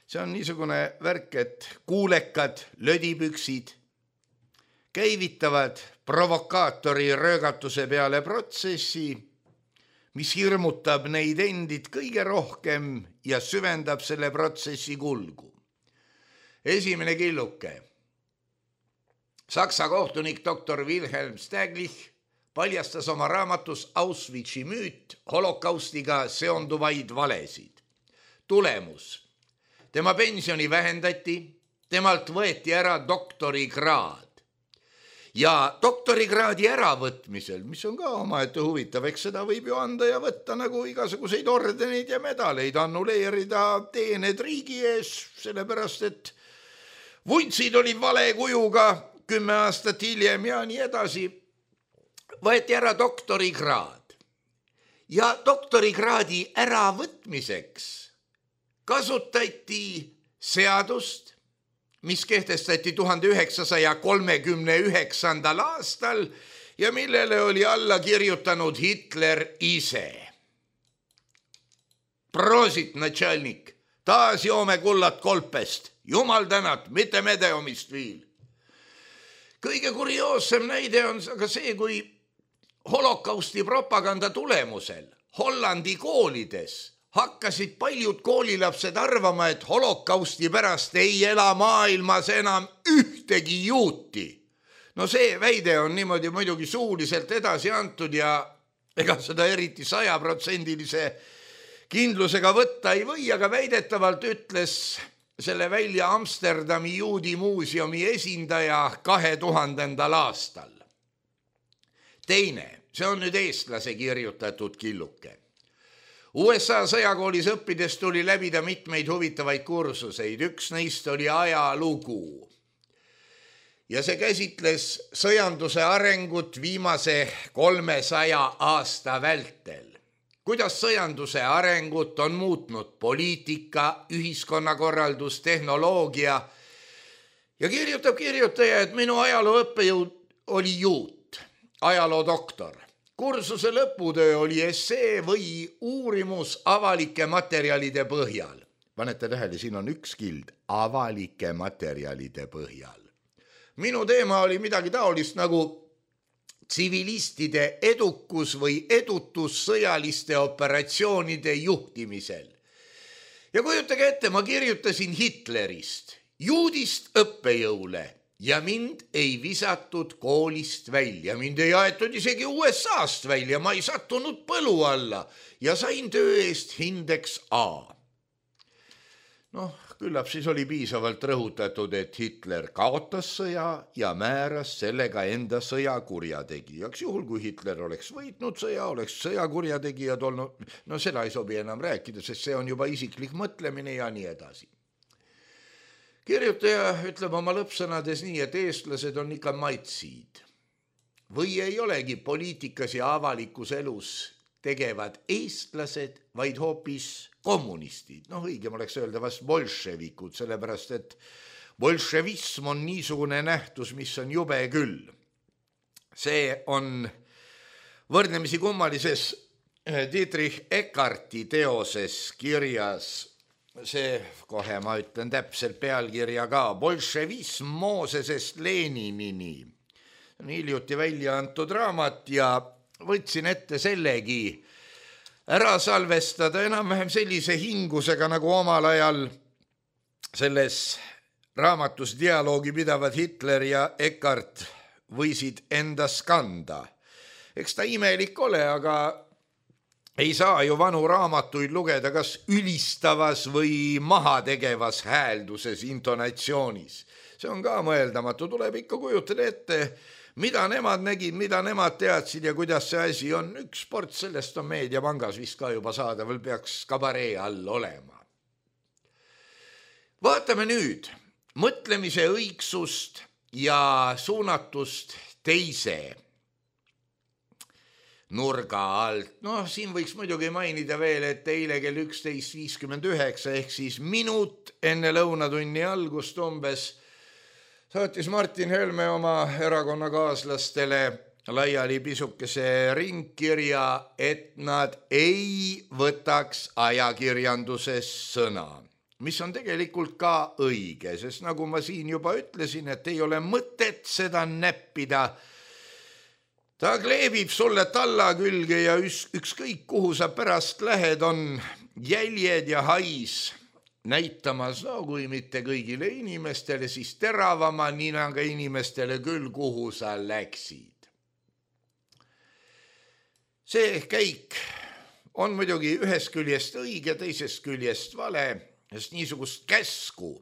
See on niisugune värk, et kuulekad lödipüksid käivitavad provokaatori röögatuse peale protsessi, mis hirmutab neid endid kõige rohkem ja süvendab selle protsessi kulgu. Esimene killuke. Saksa kohtunik doktor Wilhelm Staglich paljastas oma raamatus Auschwitzi müüt holokaustiga seonduvaid valesid. Tulemus. Tema pensioni vähendati, temalt võeti ära doktorikraad. Ja doktorikraadi äravõtmisel, mis on ka omaette huvitav, eks seda võib ju anda ja võtta nagu igasuguseid ordeneid ja medaleid, annuleerida teened riigi ees, sellepärast et vuntsid olid vale kujuga 10 aastat hiljem ja nii edasi. Võeti ära doktorikraad ja doktorikraadi äravõtmiseks kasutati seadust, mis kehtestati 1939. aastal ja millele oli alla kirjutanud Hitler ise. Prosit, natšalnik, taas joome kullat kolpest, jumal tänat, mitte medeomist viil. Kõige kurioossem näide on aga see, kui holokausti propaganda tulemusel Hollandi koolides hakkasid paljud koolilapsed arvama, et holokausti pärast ei ela maailmas enam ühtegi juuti. No see väide on niimoodi muidugi suuliselt edasi antud ja ega seda eriti 100% kindlusega võtta ei või, aga väidetavalt ütles selle välja Amsterdami juudi muuseumi esindaja 2000. aastal. Teine, see on nüüd eestlase kirjutatud killuke. USA sõjakoolis õppides tuli läbida mitmeid huvitavaid kursuseid, üks neist oli ajalugu. Ja see käsitles sõjanduse arengut viimase 300 aasta vältel. Kuidas sõjanduse arengut on muutnud poliitika, ühiskonnakorraldus, tehnoloogia ja kirjutab kirjutaja, et minu ajaloo õppejõud oli juut, ajaloodoktor. Kursuse lõputöö oli essee või uurimus avalike materjalide põhjal. Panete tähele, siin on üks kild, avalike materjalide põhjal. Minu teema oli midagi taolist nagu tsivilistide edukus või edutus sõjaliste operatsioonide juhtimisel. Ja kujutage ette, ma kirjutasin Hitlerist, juudist õppejõule ja mind ei visatud koolist välja. Mind ei aetud isegi USA-st välja, ma ei sattunud põlu alla ja sain töö eest hindeks A. Küllap siis oli piisavalt rõhutatud, et Hitler kaotas sõja ja määras sellega enda sõja kurjategijaks. Juhul, kui Hitler oleks võitnud sõja, oleks sõjakurjategijad olnud, seda ei sobi enam rääkida, sest see on juba isiklik mõtlemine ja nii edasi. Kirjutaja ütleb oma lõppsõnades nii, et eestlased on ikka maitsid. Või ei olegi poliitikas ja avalikus elus tegevad eestlased, vaid hoopis kommunistid. Õigem oleks öelda vast bolševikud, sellepärast et bolševism on niisugune nähtus, mis on jube küll. See on võrdlemisi kummalises Dietrich Eckarti teoses kirjas, see kohe ma ütlen täpselt pealkirja ka, bolševism Moosesest Leninini. On hiljuti välja antud raamat ja võtsin ette sellegi ära salvestada enam-vähem sellise hingusega, nagu omal ajal selles raamatus dialoogi pidavad Hitler ja Eckart võisid endas kanda. Eks ta imelik ole, aga ei saa ju vanu raamatuid lugeda kas ülistavas või mahategevas häälduses, intonatsioonis. See on ka mõeldamatu, tuleb ikka kujutada ette, mida nemad nägid, mida nemad teadsid ja kuidas see asi on. Üks sport sellest on Meediapangas vist ka juba saadaval, peaks kabaree all olema. Vaatame nüüd mõtlemise õigsust ja suunatust teise nurga alt. Siin võiks muidugi mainida veel, et eile kell 11.59 ehk siis minut enne lõunatunni algust umbes saatis Martin Helme oma erakonnakaaslastele laiali pisukese ringkirja, et nad ei võtaks ajakirjanduses sõna, mis on tegelikult ka õige, sest nagu ma siin juba ütlesin, et ei ole mõtet seda näppida. Ta kleebib sulle talla külge ja ükskõik kuhu sa pärast lähed, on jäljed ja hais näitamas, kui mitte kõigile inimestele, siis teravama ninaga inimestele küll, kuhu sa läksid. See käik on muidugi ühest küljest õige, teisest küljest vale, sest niisugust käsku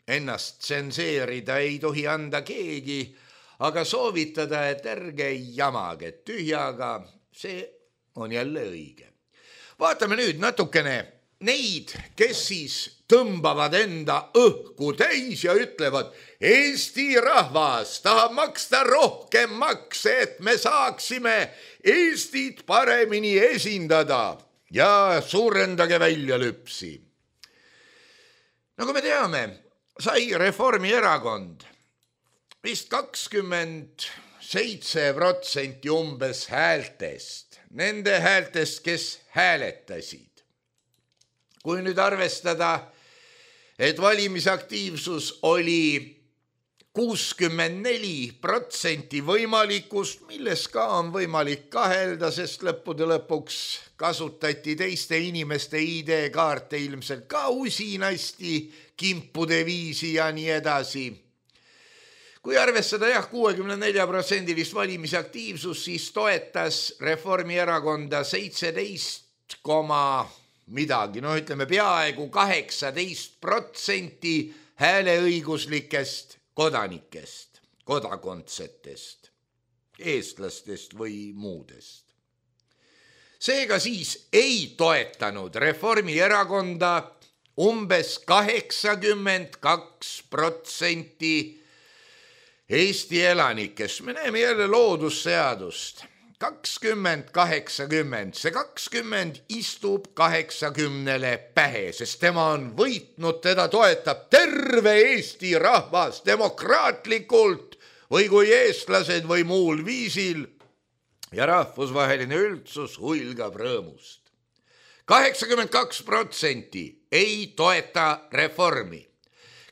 ennast tsenseerida ei tohi anda keegi, aga soovitada, et ärge jamage tühjaga, see on jälle õige. Vaatame nüüd natukene neid, kes siis tõmbavad enda õhku täis ja ütlevad, Eesti rahvas tahab maksta rohkem makse, et me saaksime Eestit paremini esindada ja suurendage välja lüpsi. Nagu me teame, sai Reformierakond vist 27% umbes häältest, nende häältest, kes hääletasid. kui nüüd arvestada, et valimisaktiivsus oli 64% võimalikust, milles ka on võimalik kahelda, sest lõppude lõpuks kasutati teiste inimeste ID-kaarte ilmselt ka usinasti, kimpude viisi ja nii edasi. Kui arvestada 64% valimisaktiivsus, siis toetas Reformierakonda 17, midagi, ütleme peaaegu 18% hääleõiguslikest kodanikest, kodakondsetest, eestlastest või muudest. Seega siis ei toetanud Reformierakonda umbes 82% Eesti elanikest. Me näeme jälle loodusseadust. 20-80, see 20 istub 80 pähe, sest tema on võitnud, teda toetab terve Eesti rahvas demokraatlikult või kui eestlased või muul viisil ja rahvusvaheline üldsus huilgab rõõmust. 82% ei toeta reformi.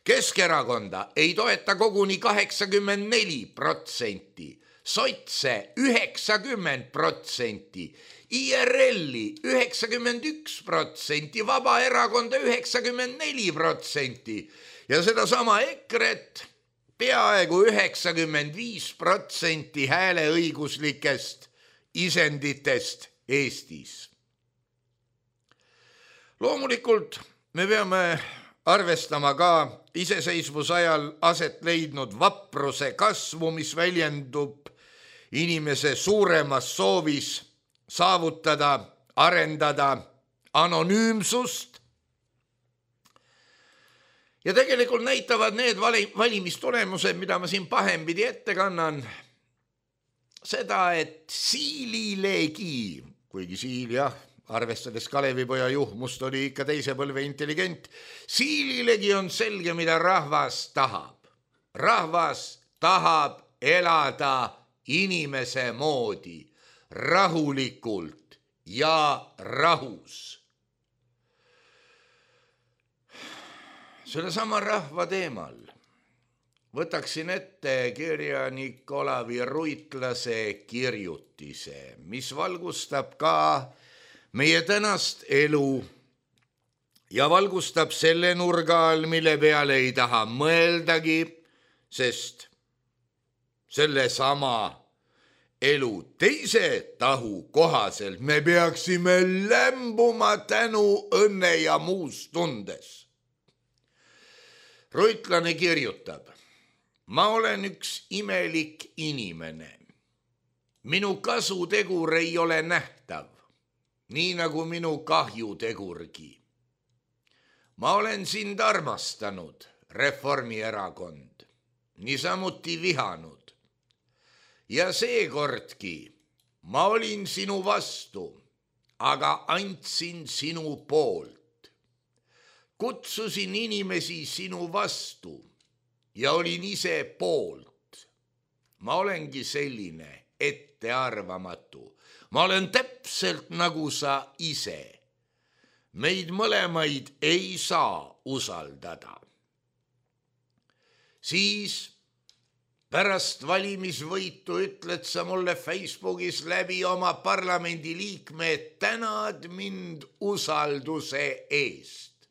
Keskerakonna ei toeta koguni 84%. Sotse 90%, IRL-i 91%, Vabaerakonda 94% ja sedasama EKRE-t peaaegu 95% hääleõiguslikest isenditest Eestis. Loomulikult me peame arvestama ka iseseisvusajal aset leidnud vapruse kasvu, mis väljendub inimese suuremas soovis saavutada, arendada anonüümsust. Ja tegelikult näitavad need valimistulemused, mida ma siin pahempidi ette kannan, seda, et Siililegi, kuigi Siil arvestades Kalevipoja juhmust oli ikka teise põlve intelligent, Siililegi on selge, mida rahvas tahab. Rahvas tahab elada inimese moodi, rahulikult ja rahus. Sellesama rahva teemal võtaksin ette kirjanik Olavi Ruitlase kirjutise, mis valgustab ka meie tänast elu ja valgustab selle nurga all, mille peale ei taha mõeldagi, sest selle sama elu teise tahu kohaselt me peaksime lämbuma tänu, õnne ja muus tundes. Ruitlane kirjutab, ma olen üks imelik inimene. Minu kasutegur ei ole nähtav, nii nagu minu kahjutegurgi. Ma olen sind armastanud, Reformierakond, niisamuti vihanud. Ja seekordki ma olin sinu vastu, aga andsin sinu poolt. Kutsusin inimesi sinu vastu ja olin ise poolt. Ma olengi selline ettearvamatu. Ma olen täpselt nagu sa ise. Meid mõlemaid ei saa usaldada. Siis pärast valimisvõitu ütled sa mulle Facebookis läbi oma parlamendi liikme, et tänad mind usalduse eest.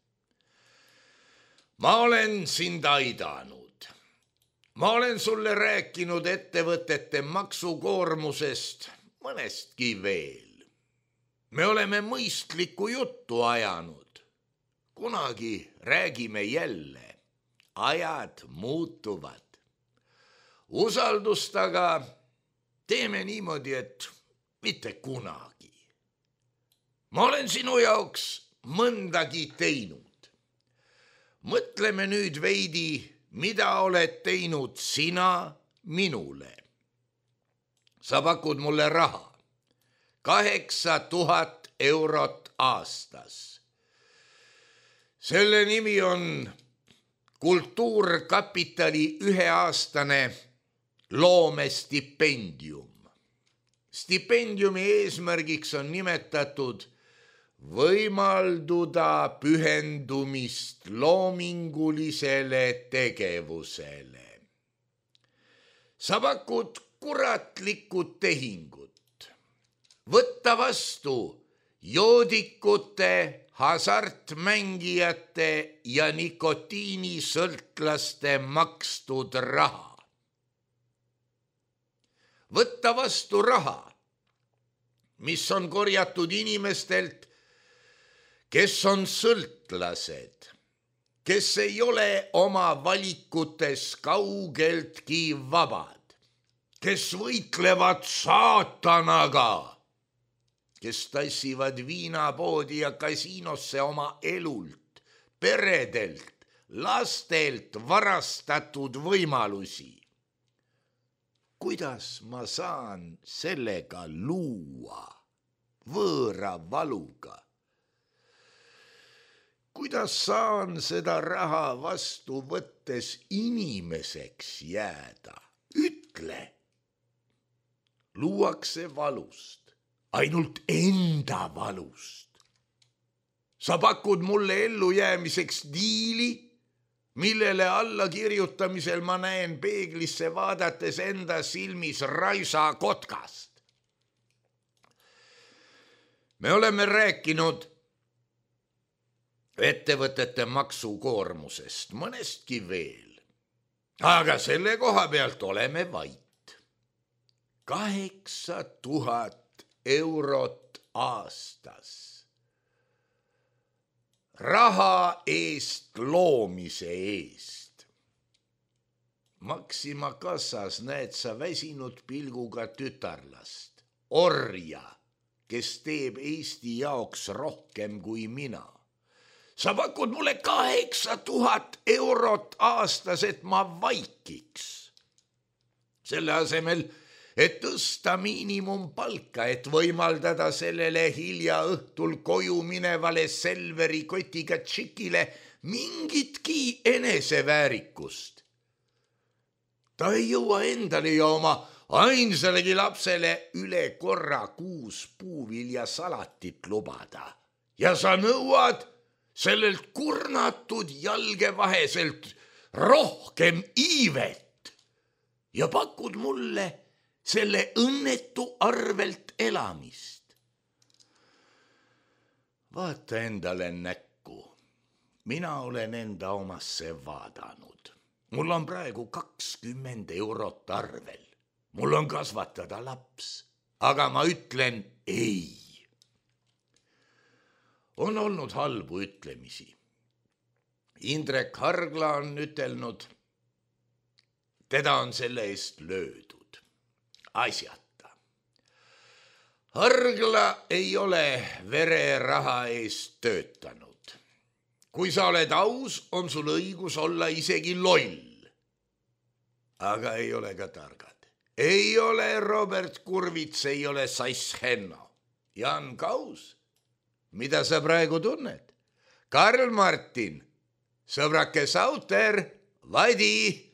Ma olen sind aidanud. Ma olen sulle rääkinud ettevõtete maksukoormusest, mõnestki veel. Me oleme mõistlikku juttu ajanud. Kunagi räägime jälle. Ajad muutuvad. Usaldust aga teeme niimoodi, et mitte kunagi. Ma olen sinu jaoks mõndagi teinud. Mõtleme nüüd veidi, mida oled teinud sina minule. Sa pakud mulle raha, 8000 eurot aastas. Selle nimi on Kultuurkapitali 1-aastane loomestipendium. Stipendiumi eesmärgiks on nimetatud võimalduda pühendumist loomingulisele tegevusele. sa pakud kuratlikud tehingud, võtta vastu joodikute, hasartmängijate ja nikotiinisõltlaste makstud raha. Võtta vastu raha, mis on korjatud inimestelt, kes on sõltlased, kes ei ole oma valikutes kaugeltki vabad, kes võitlevad saatanaga, kes tassivad viinapoodi ja kasiinosse oma elult, peredelt, lastelt varastatud võimalusi. Kuidas ma saan sellega luua võõra valuga? Kuidas saan seda raha vastu võttes inimeseks jääda? Ütle. Luuakse valust, ainult enda valust. Sa pakud mulle ellujäämiseks diili, millele alla kirjutamisel ma näen peeglisse vaadates enda silmis Raisa kotkast. Me oleme rääkinud ettevõtete maksukoormusest, mõnestki veel. Aga selle koha pealt oleme vait. 8000 eurot aastas. Raha eest loomise eest. Maxima kassas näed sa väsinud pilguga tütarlast, orja, kes teeb Eesti jaoks rohkem kui mina. Sa pakud mulle 8000 eurot aastas, et ma vaikiks. Selle asemel, et tõsta miinimumpalka, et võimaldada sellele hilja õhtul koju minevale Selveri kotiga tšikile mingitki eneseväärikust. Ta ei jõua endale ja oma ainsalegi lapsele üle korra kuus puuviljasalatit lubada. Ja sa nõuad sellelt kurnatud jalgevaheselt rohkem iivet ja pakud mulle selle õnnetu arvelt elamist. Vaata endale näkku. Mina olen enda omasse vaadanud. Mul on praegu 20 eurot arvel. Mul on kasvatada laps, aga ma ütlen ei. On olnud halbu ütlemisi. Indrek Hargla on ütelnud, teda on selle eest löödud. Asjata. Hargla ei ole vereraha eest töötanud. Kui sa oled aus, on sul õigus olla isegi loll. Aga ei ole ka targad. Ei ole Robert Kurvits, ei ole Sass Henno. Jan Kaus, mida sa praegu tunned? Karl Martin, sõbrake Sauter, Vadi.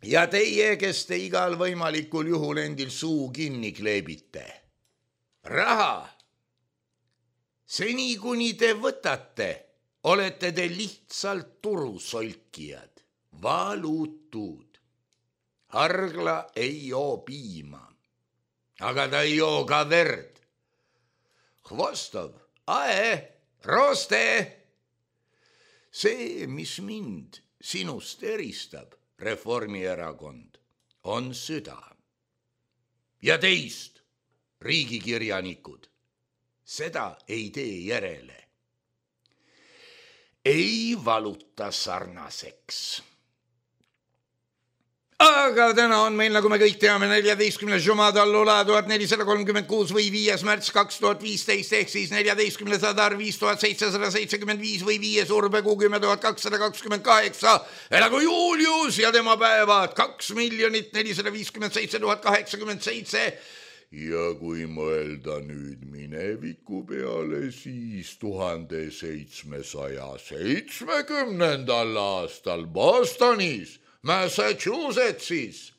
Ja teie, kes te igal võimalikul juhul endil suu kinni kleebite. Raha. Seni kuni te võtate, olete te lihtsalt turusolkijad, valutud. Hargla ei joo piima, aga ta ei joo ka verd. Hvostov, ae, roste. See, mis mind sinust eristab, Reformierakond, on süda. Ja teist, riigikirjanikud, seda ei tee järele. Ei valuta sarnaseks. Aga täna on meil, nagu me kõik teame, 14. Jumada Allula 1436 või 5. märts 2015 ehk siis 14. sadar 5775 või 5. urbekuu 10228. Elagu Julius ja tema päevad 2 457 087. Ja kui mõelda nüüd mineviku peale, siis 1770. aastal Bostonis, Massachusettsis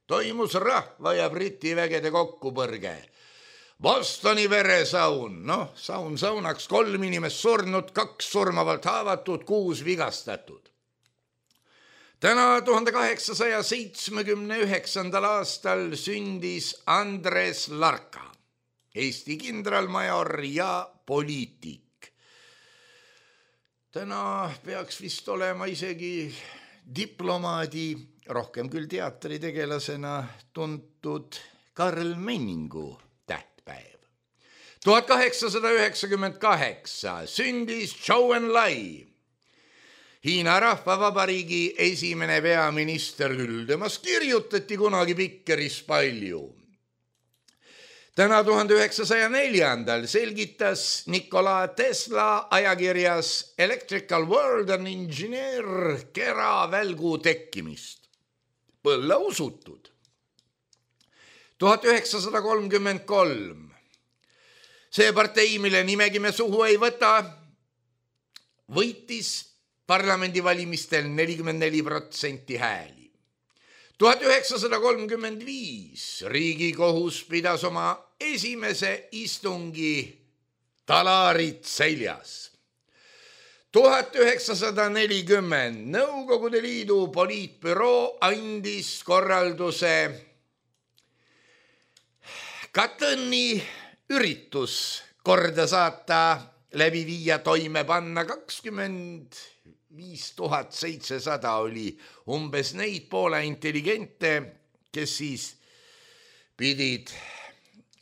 toimus rahva ja Briti vägede kokkupõrge. Bostoni veresaun, saun saunaks, 3 inimest surnud, 2 surmavalt haavatud, 6 vigastatud. Täna 1879. aastal sündis Andres Larka, Eesti kindralmajor ja poliitik. Täna peaks vist olema isegi diplomaadi, rohkem küll teatritegelasena tuntud Karl Menningu tähtpäev. 1898 sündis Zhou Enlai, Hiina Rahvavabariigi esimene peaminister küll, temast kirjutati kunagi Pikkeris palju. Täna 1904. selgitas Nikola Tesla ajakirjas Electrical World and Engineer keravälgu tekkimist. Põlla usutud. 1933. See partei, mille nimegi me suhu ei võta, võitis parlamendivalimistel 44% hääli. 1935 Riigikohus pidas oma esimese istungi talarit seljas. 1940 Nõukogude Liidu poliitbüroo andis korralduse Katõni üritus korda saata, läbi viia, toime panna. 25 700 oli umbes neid Poola intelligente, kes siis pidid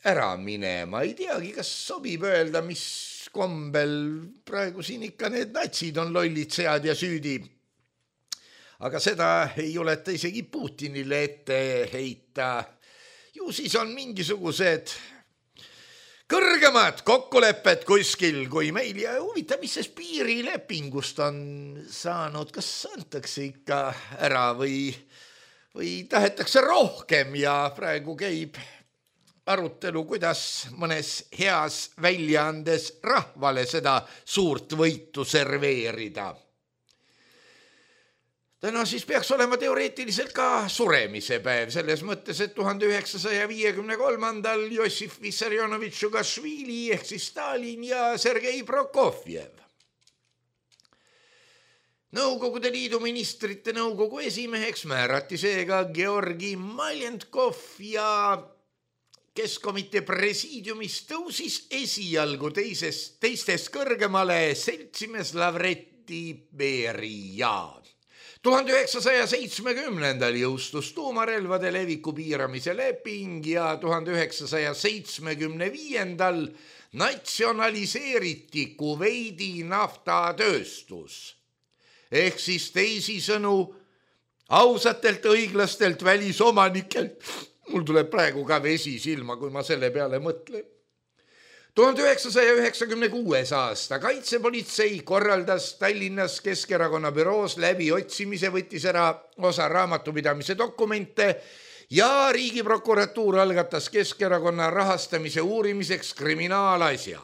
ära minema. Ei teagi, kas sobib öelda, mis kombel praegu siin ikka need natsid on lollid sead ja süüdi. Aga seda ei oleta isegi Putinile ette heita. Ju siis on mingisugused kõrgemad kokkulepped kuskil kui meil ja huvitav, mis see piirilepingust on saanud, kas antakse ikka ära või tahetakse rohkem ja praegu käib arutelu, kuidas mõnes heas väljaandes rahvale seda suurt võitu serveerida. Täna siis peaks olema teoreetiliselt ka suremise päev, selles mõttes, et 1953. Jossif Vissarionovitš Džugašvili ehk siis Stalin ja Sergei Prokofjev. Nõukogude Liidu ministrite nõukogu esimeheks määrati seega Georgi Maljenkov ja Keskkomitee presiidiumist tõusis esialgu teistest kõrgemale seltsimees Lavreti Beria. 1970. jõustus tuumarelvade leviku piiramise leping ja 1975. natsionaliseeriti Kuveidi naftatööstus. Ehk siis teisisõnu ausatelt õiglastelt välisomanikelt. Mul tuleb praegu ka vesi silma, kui ma selle peale mõtlen. 1996. aasta kaitsepolitsei korraldas Tallinnas Keskerakonna büroos läbi otsimise, võttis ära osa raamatupidamise dokumente ja Riigiprokuratuur algatas Keskerakonna rahastamise uurimiseks kriminaalasja.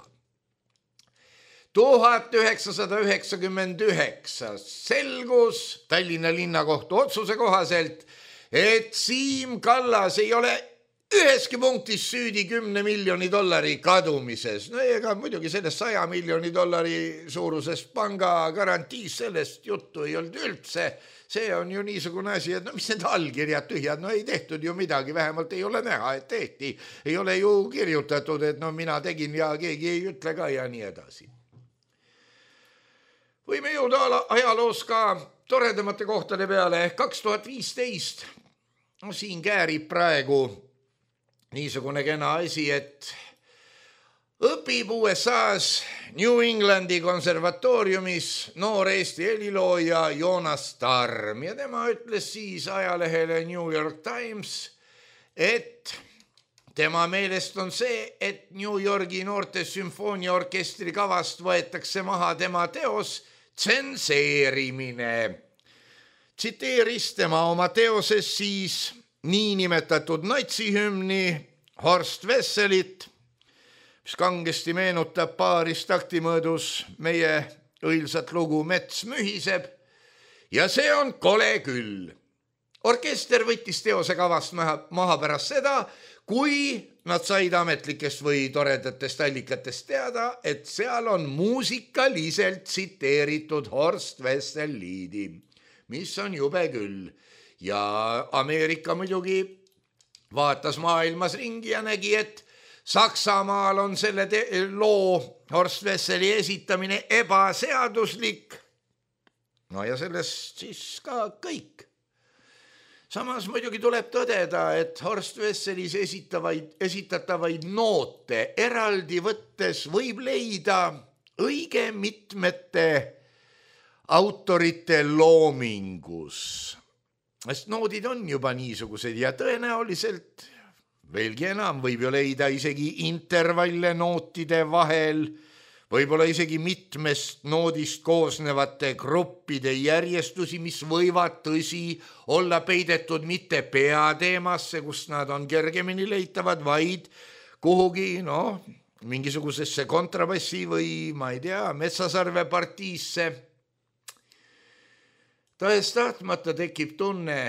1999 selgus Tallinna linnakohtu otsuse kohaselt, et Siim Kallas ei ole üheski punktis süüdi $10 miljoni kadumises. No ega muidugi sellest $100 miljoni suurusest panga garantiis, sellest juttu ei olnud üldse. See on ju niisugune asi, et mis need allkirjad tühjad, ei tehtud ju midagi, vähemalt ei ole näha, et tehti. Ei ole ju kirjutatud, et mina tegin ja keegi ei ütle ka ja nii edasi. Võime jõuda ajaloos ka toredamate kohtade peale. 2015 siin käärib praegu niisugune kena asi, et õpib USA-s New Englandi konservatooriumis noor Eesti helilooja Joonas Tarm ja tema ütles siis ajalehele New York Times, et tema meelest on see, et New Yorgi noorte sümfooniaorkestri kavast võetakse maha tema teos tsenseerimine. Tsiteeris tema oma teoses siis niinimetatud natsihümni Horst Wesselit, mis kangesti meenutab paaris taktimõõdus meie õilsat lugu Mets mühiseb ja see on kole küll. Orkester võttis teose kavast maha pärast seda, kui nad said ametlikest või toredatest allikatest teada, et seal on muusikaliselt tsiteeritud Horst Wessel-Liedi, mis on jube küll. Ja Ameerika muidugi vaatas maailmas ringi ja nägi, et Saksamaal on selle loo Horst Wesseli esitamine ebaseaduslik. No ja sellest siis ka kõik. Samas muidugi tuleb tõdeda, et Horst Wesselis esitatavaid noote eraldi võttes võib leida õige mitmete autorite loomingus. Sest noodid on juba niisugused ja tõenäoliselt veelgi enam võib ju leida isegi intervalle nootide vahel, võib-olla isegi mitmest noodist koosnevate gruppide järjestusi, mis võivad tõsi olla peidetud mitte peateemasse, kus nad on kergemini leitavad, vaid kuhugi, mingisugusesse kontrabassi või ma ei tea, metsasarve partiisse. Tõest tahtmata tekib tunne,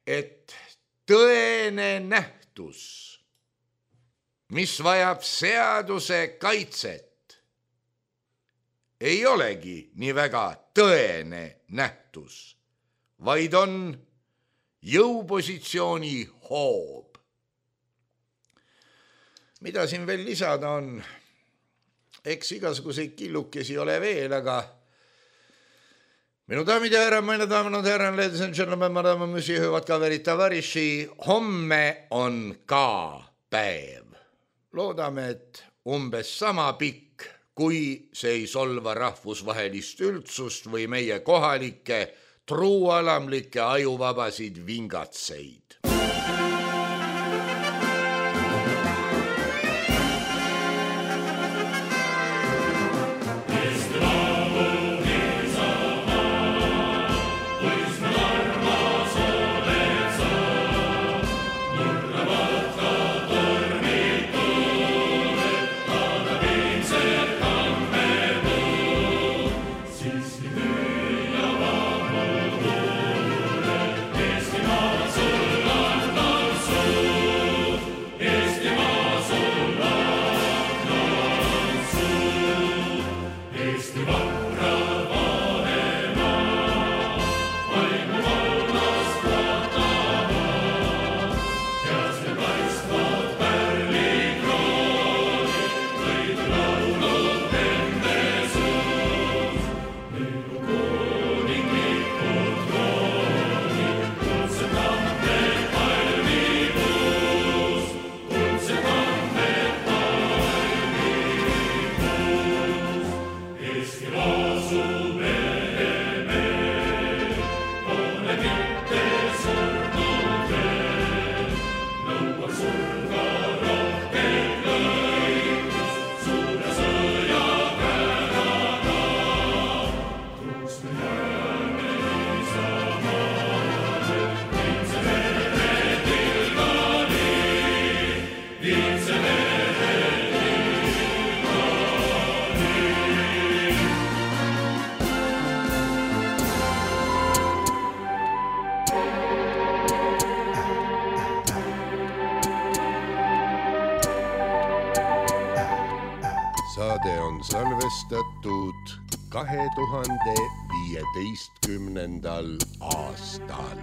et tõene nähtus, mis vajab seaduse kaitset, ei olegi nii väga tõene nähtus, vaid on jõupositsiooni hoob. Mida siin veel lisada on? Eks igasuguseid killukesi ole veel, aga minu daamid ja härrad, meine damen und herren, ladies and gentlemen, madame, monsieur, hyvät kaverit, tavariši, homme on ka päev. Loodame, et umbes sama pikk, kui see ei solva rahvusvahelist üldsust või meie kohalikke truualamlikke ajuvabasid vingatseid. Saade on salvestatud 2015. aastal.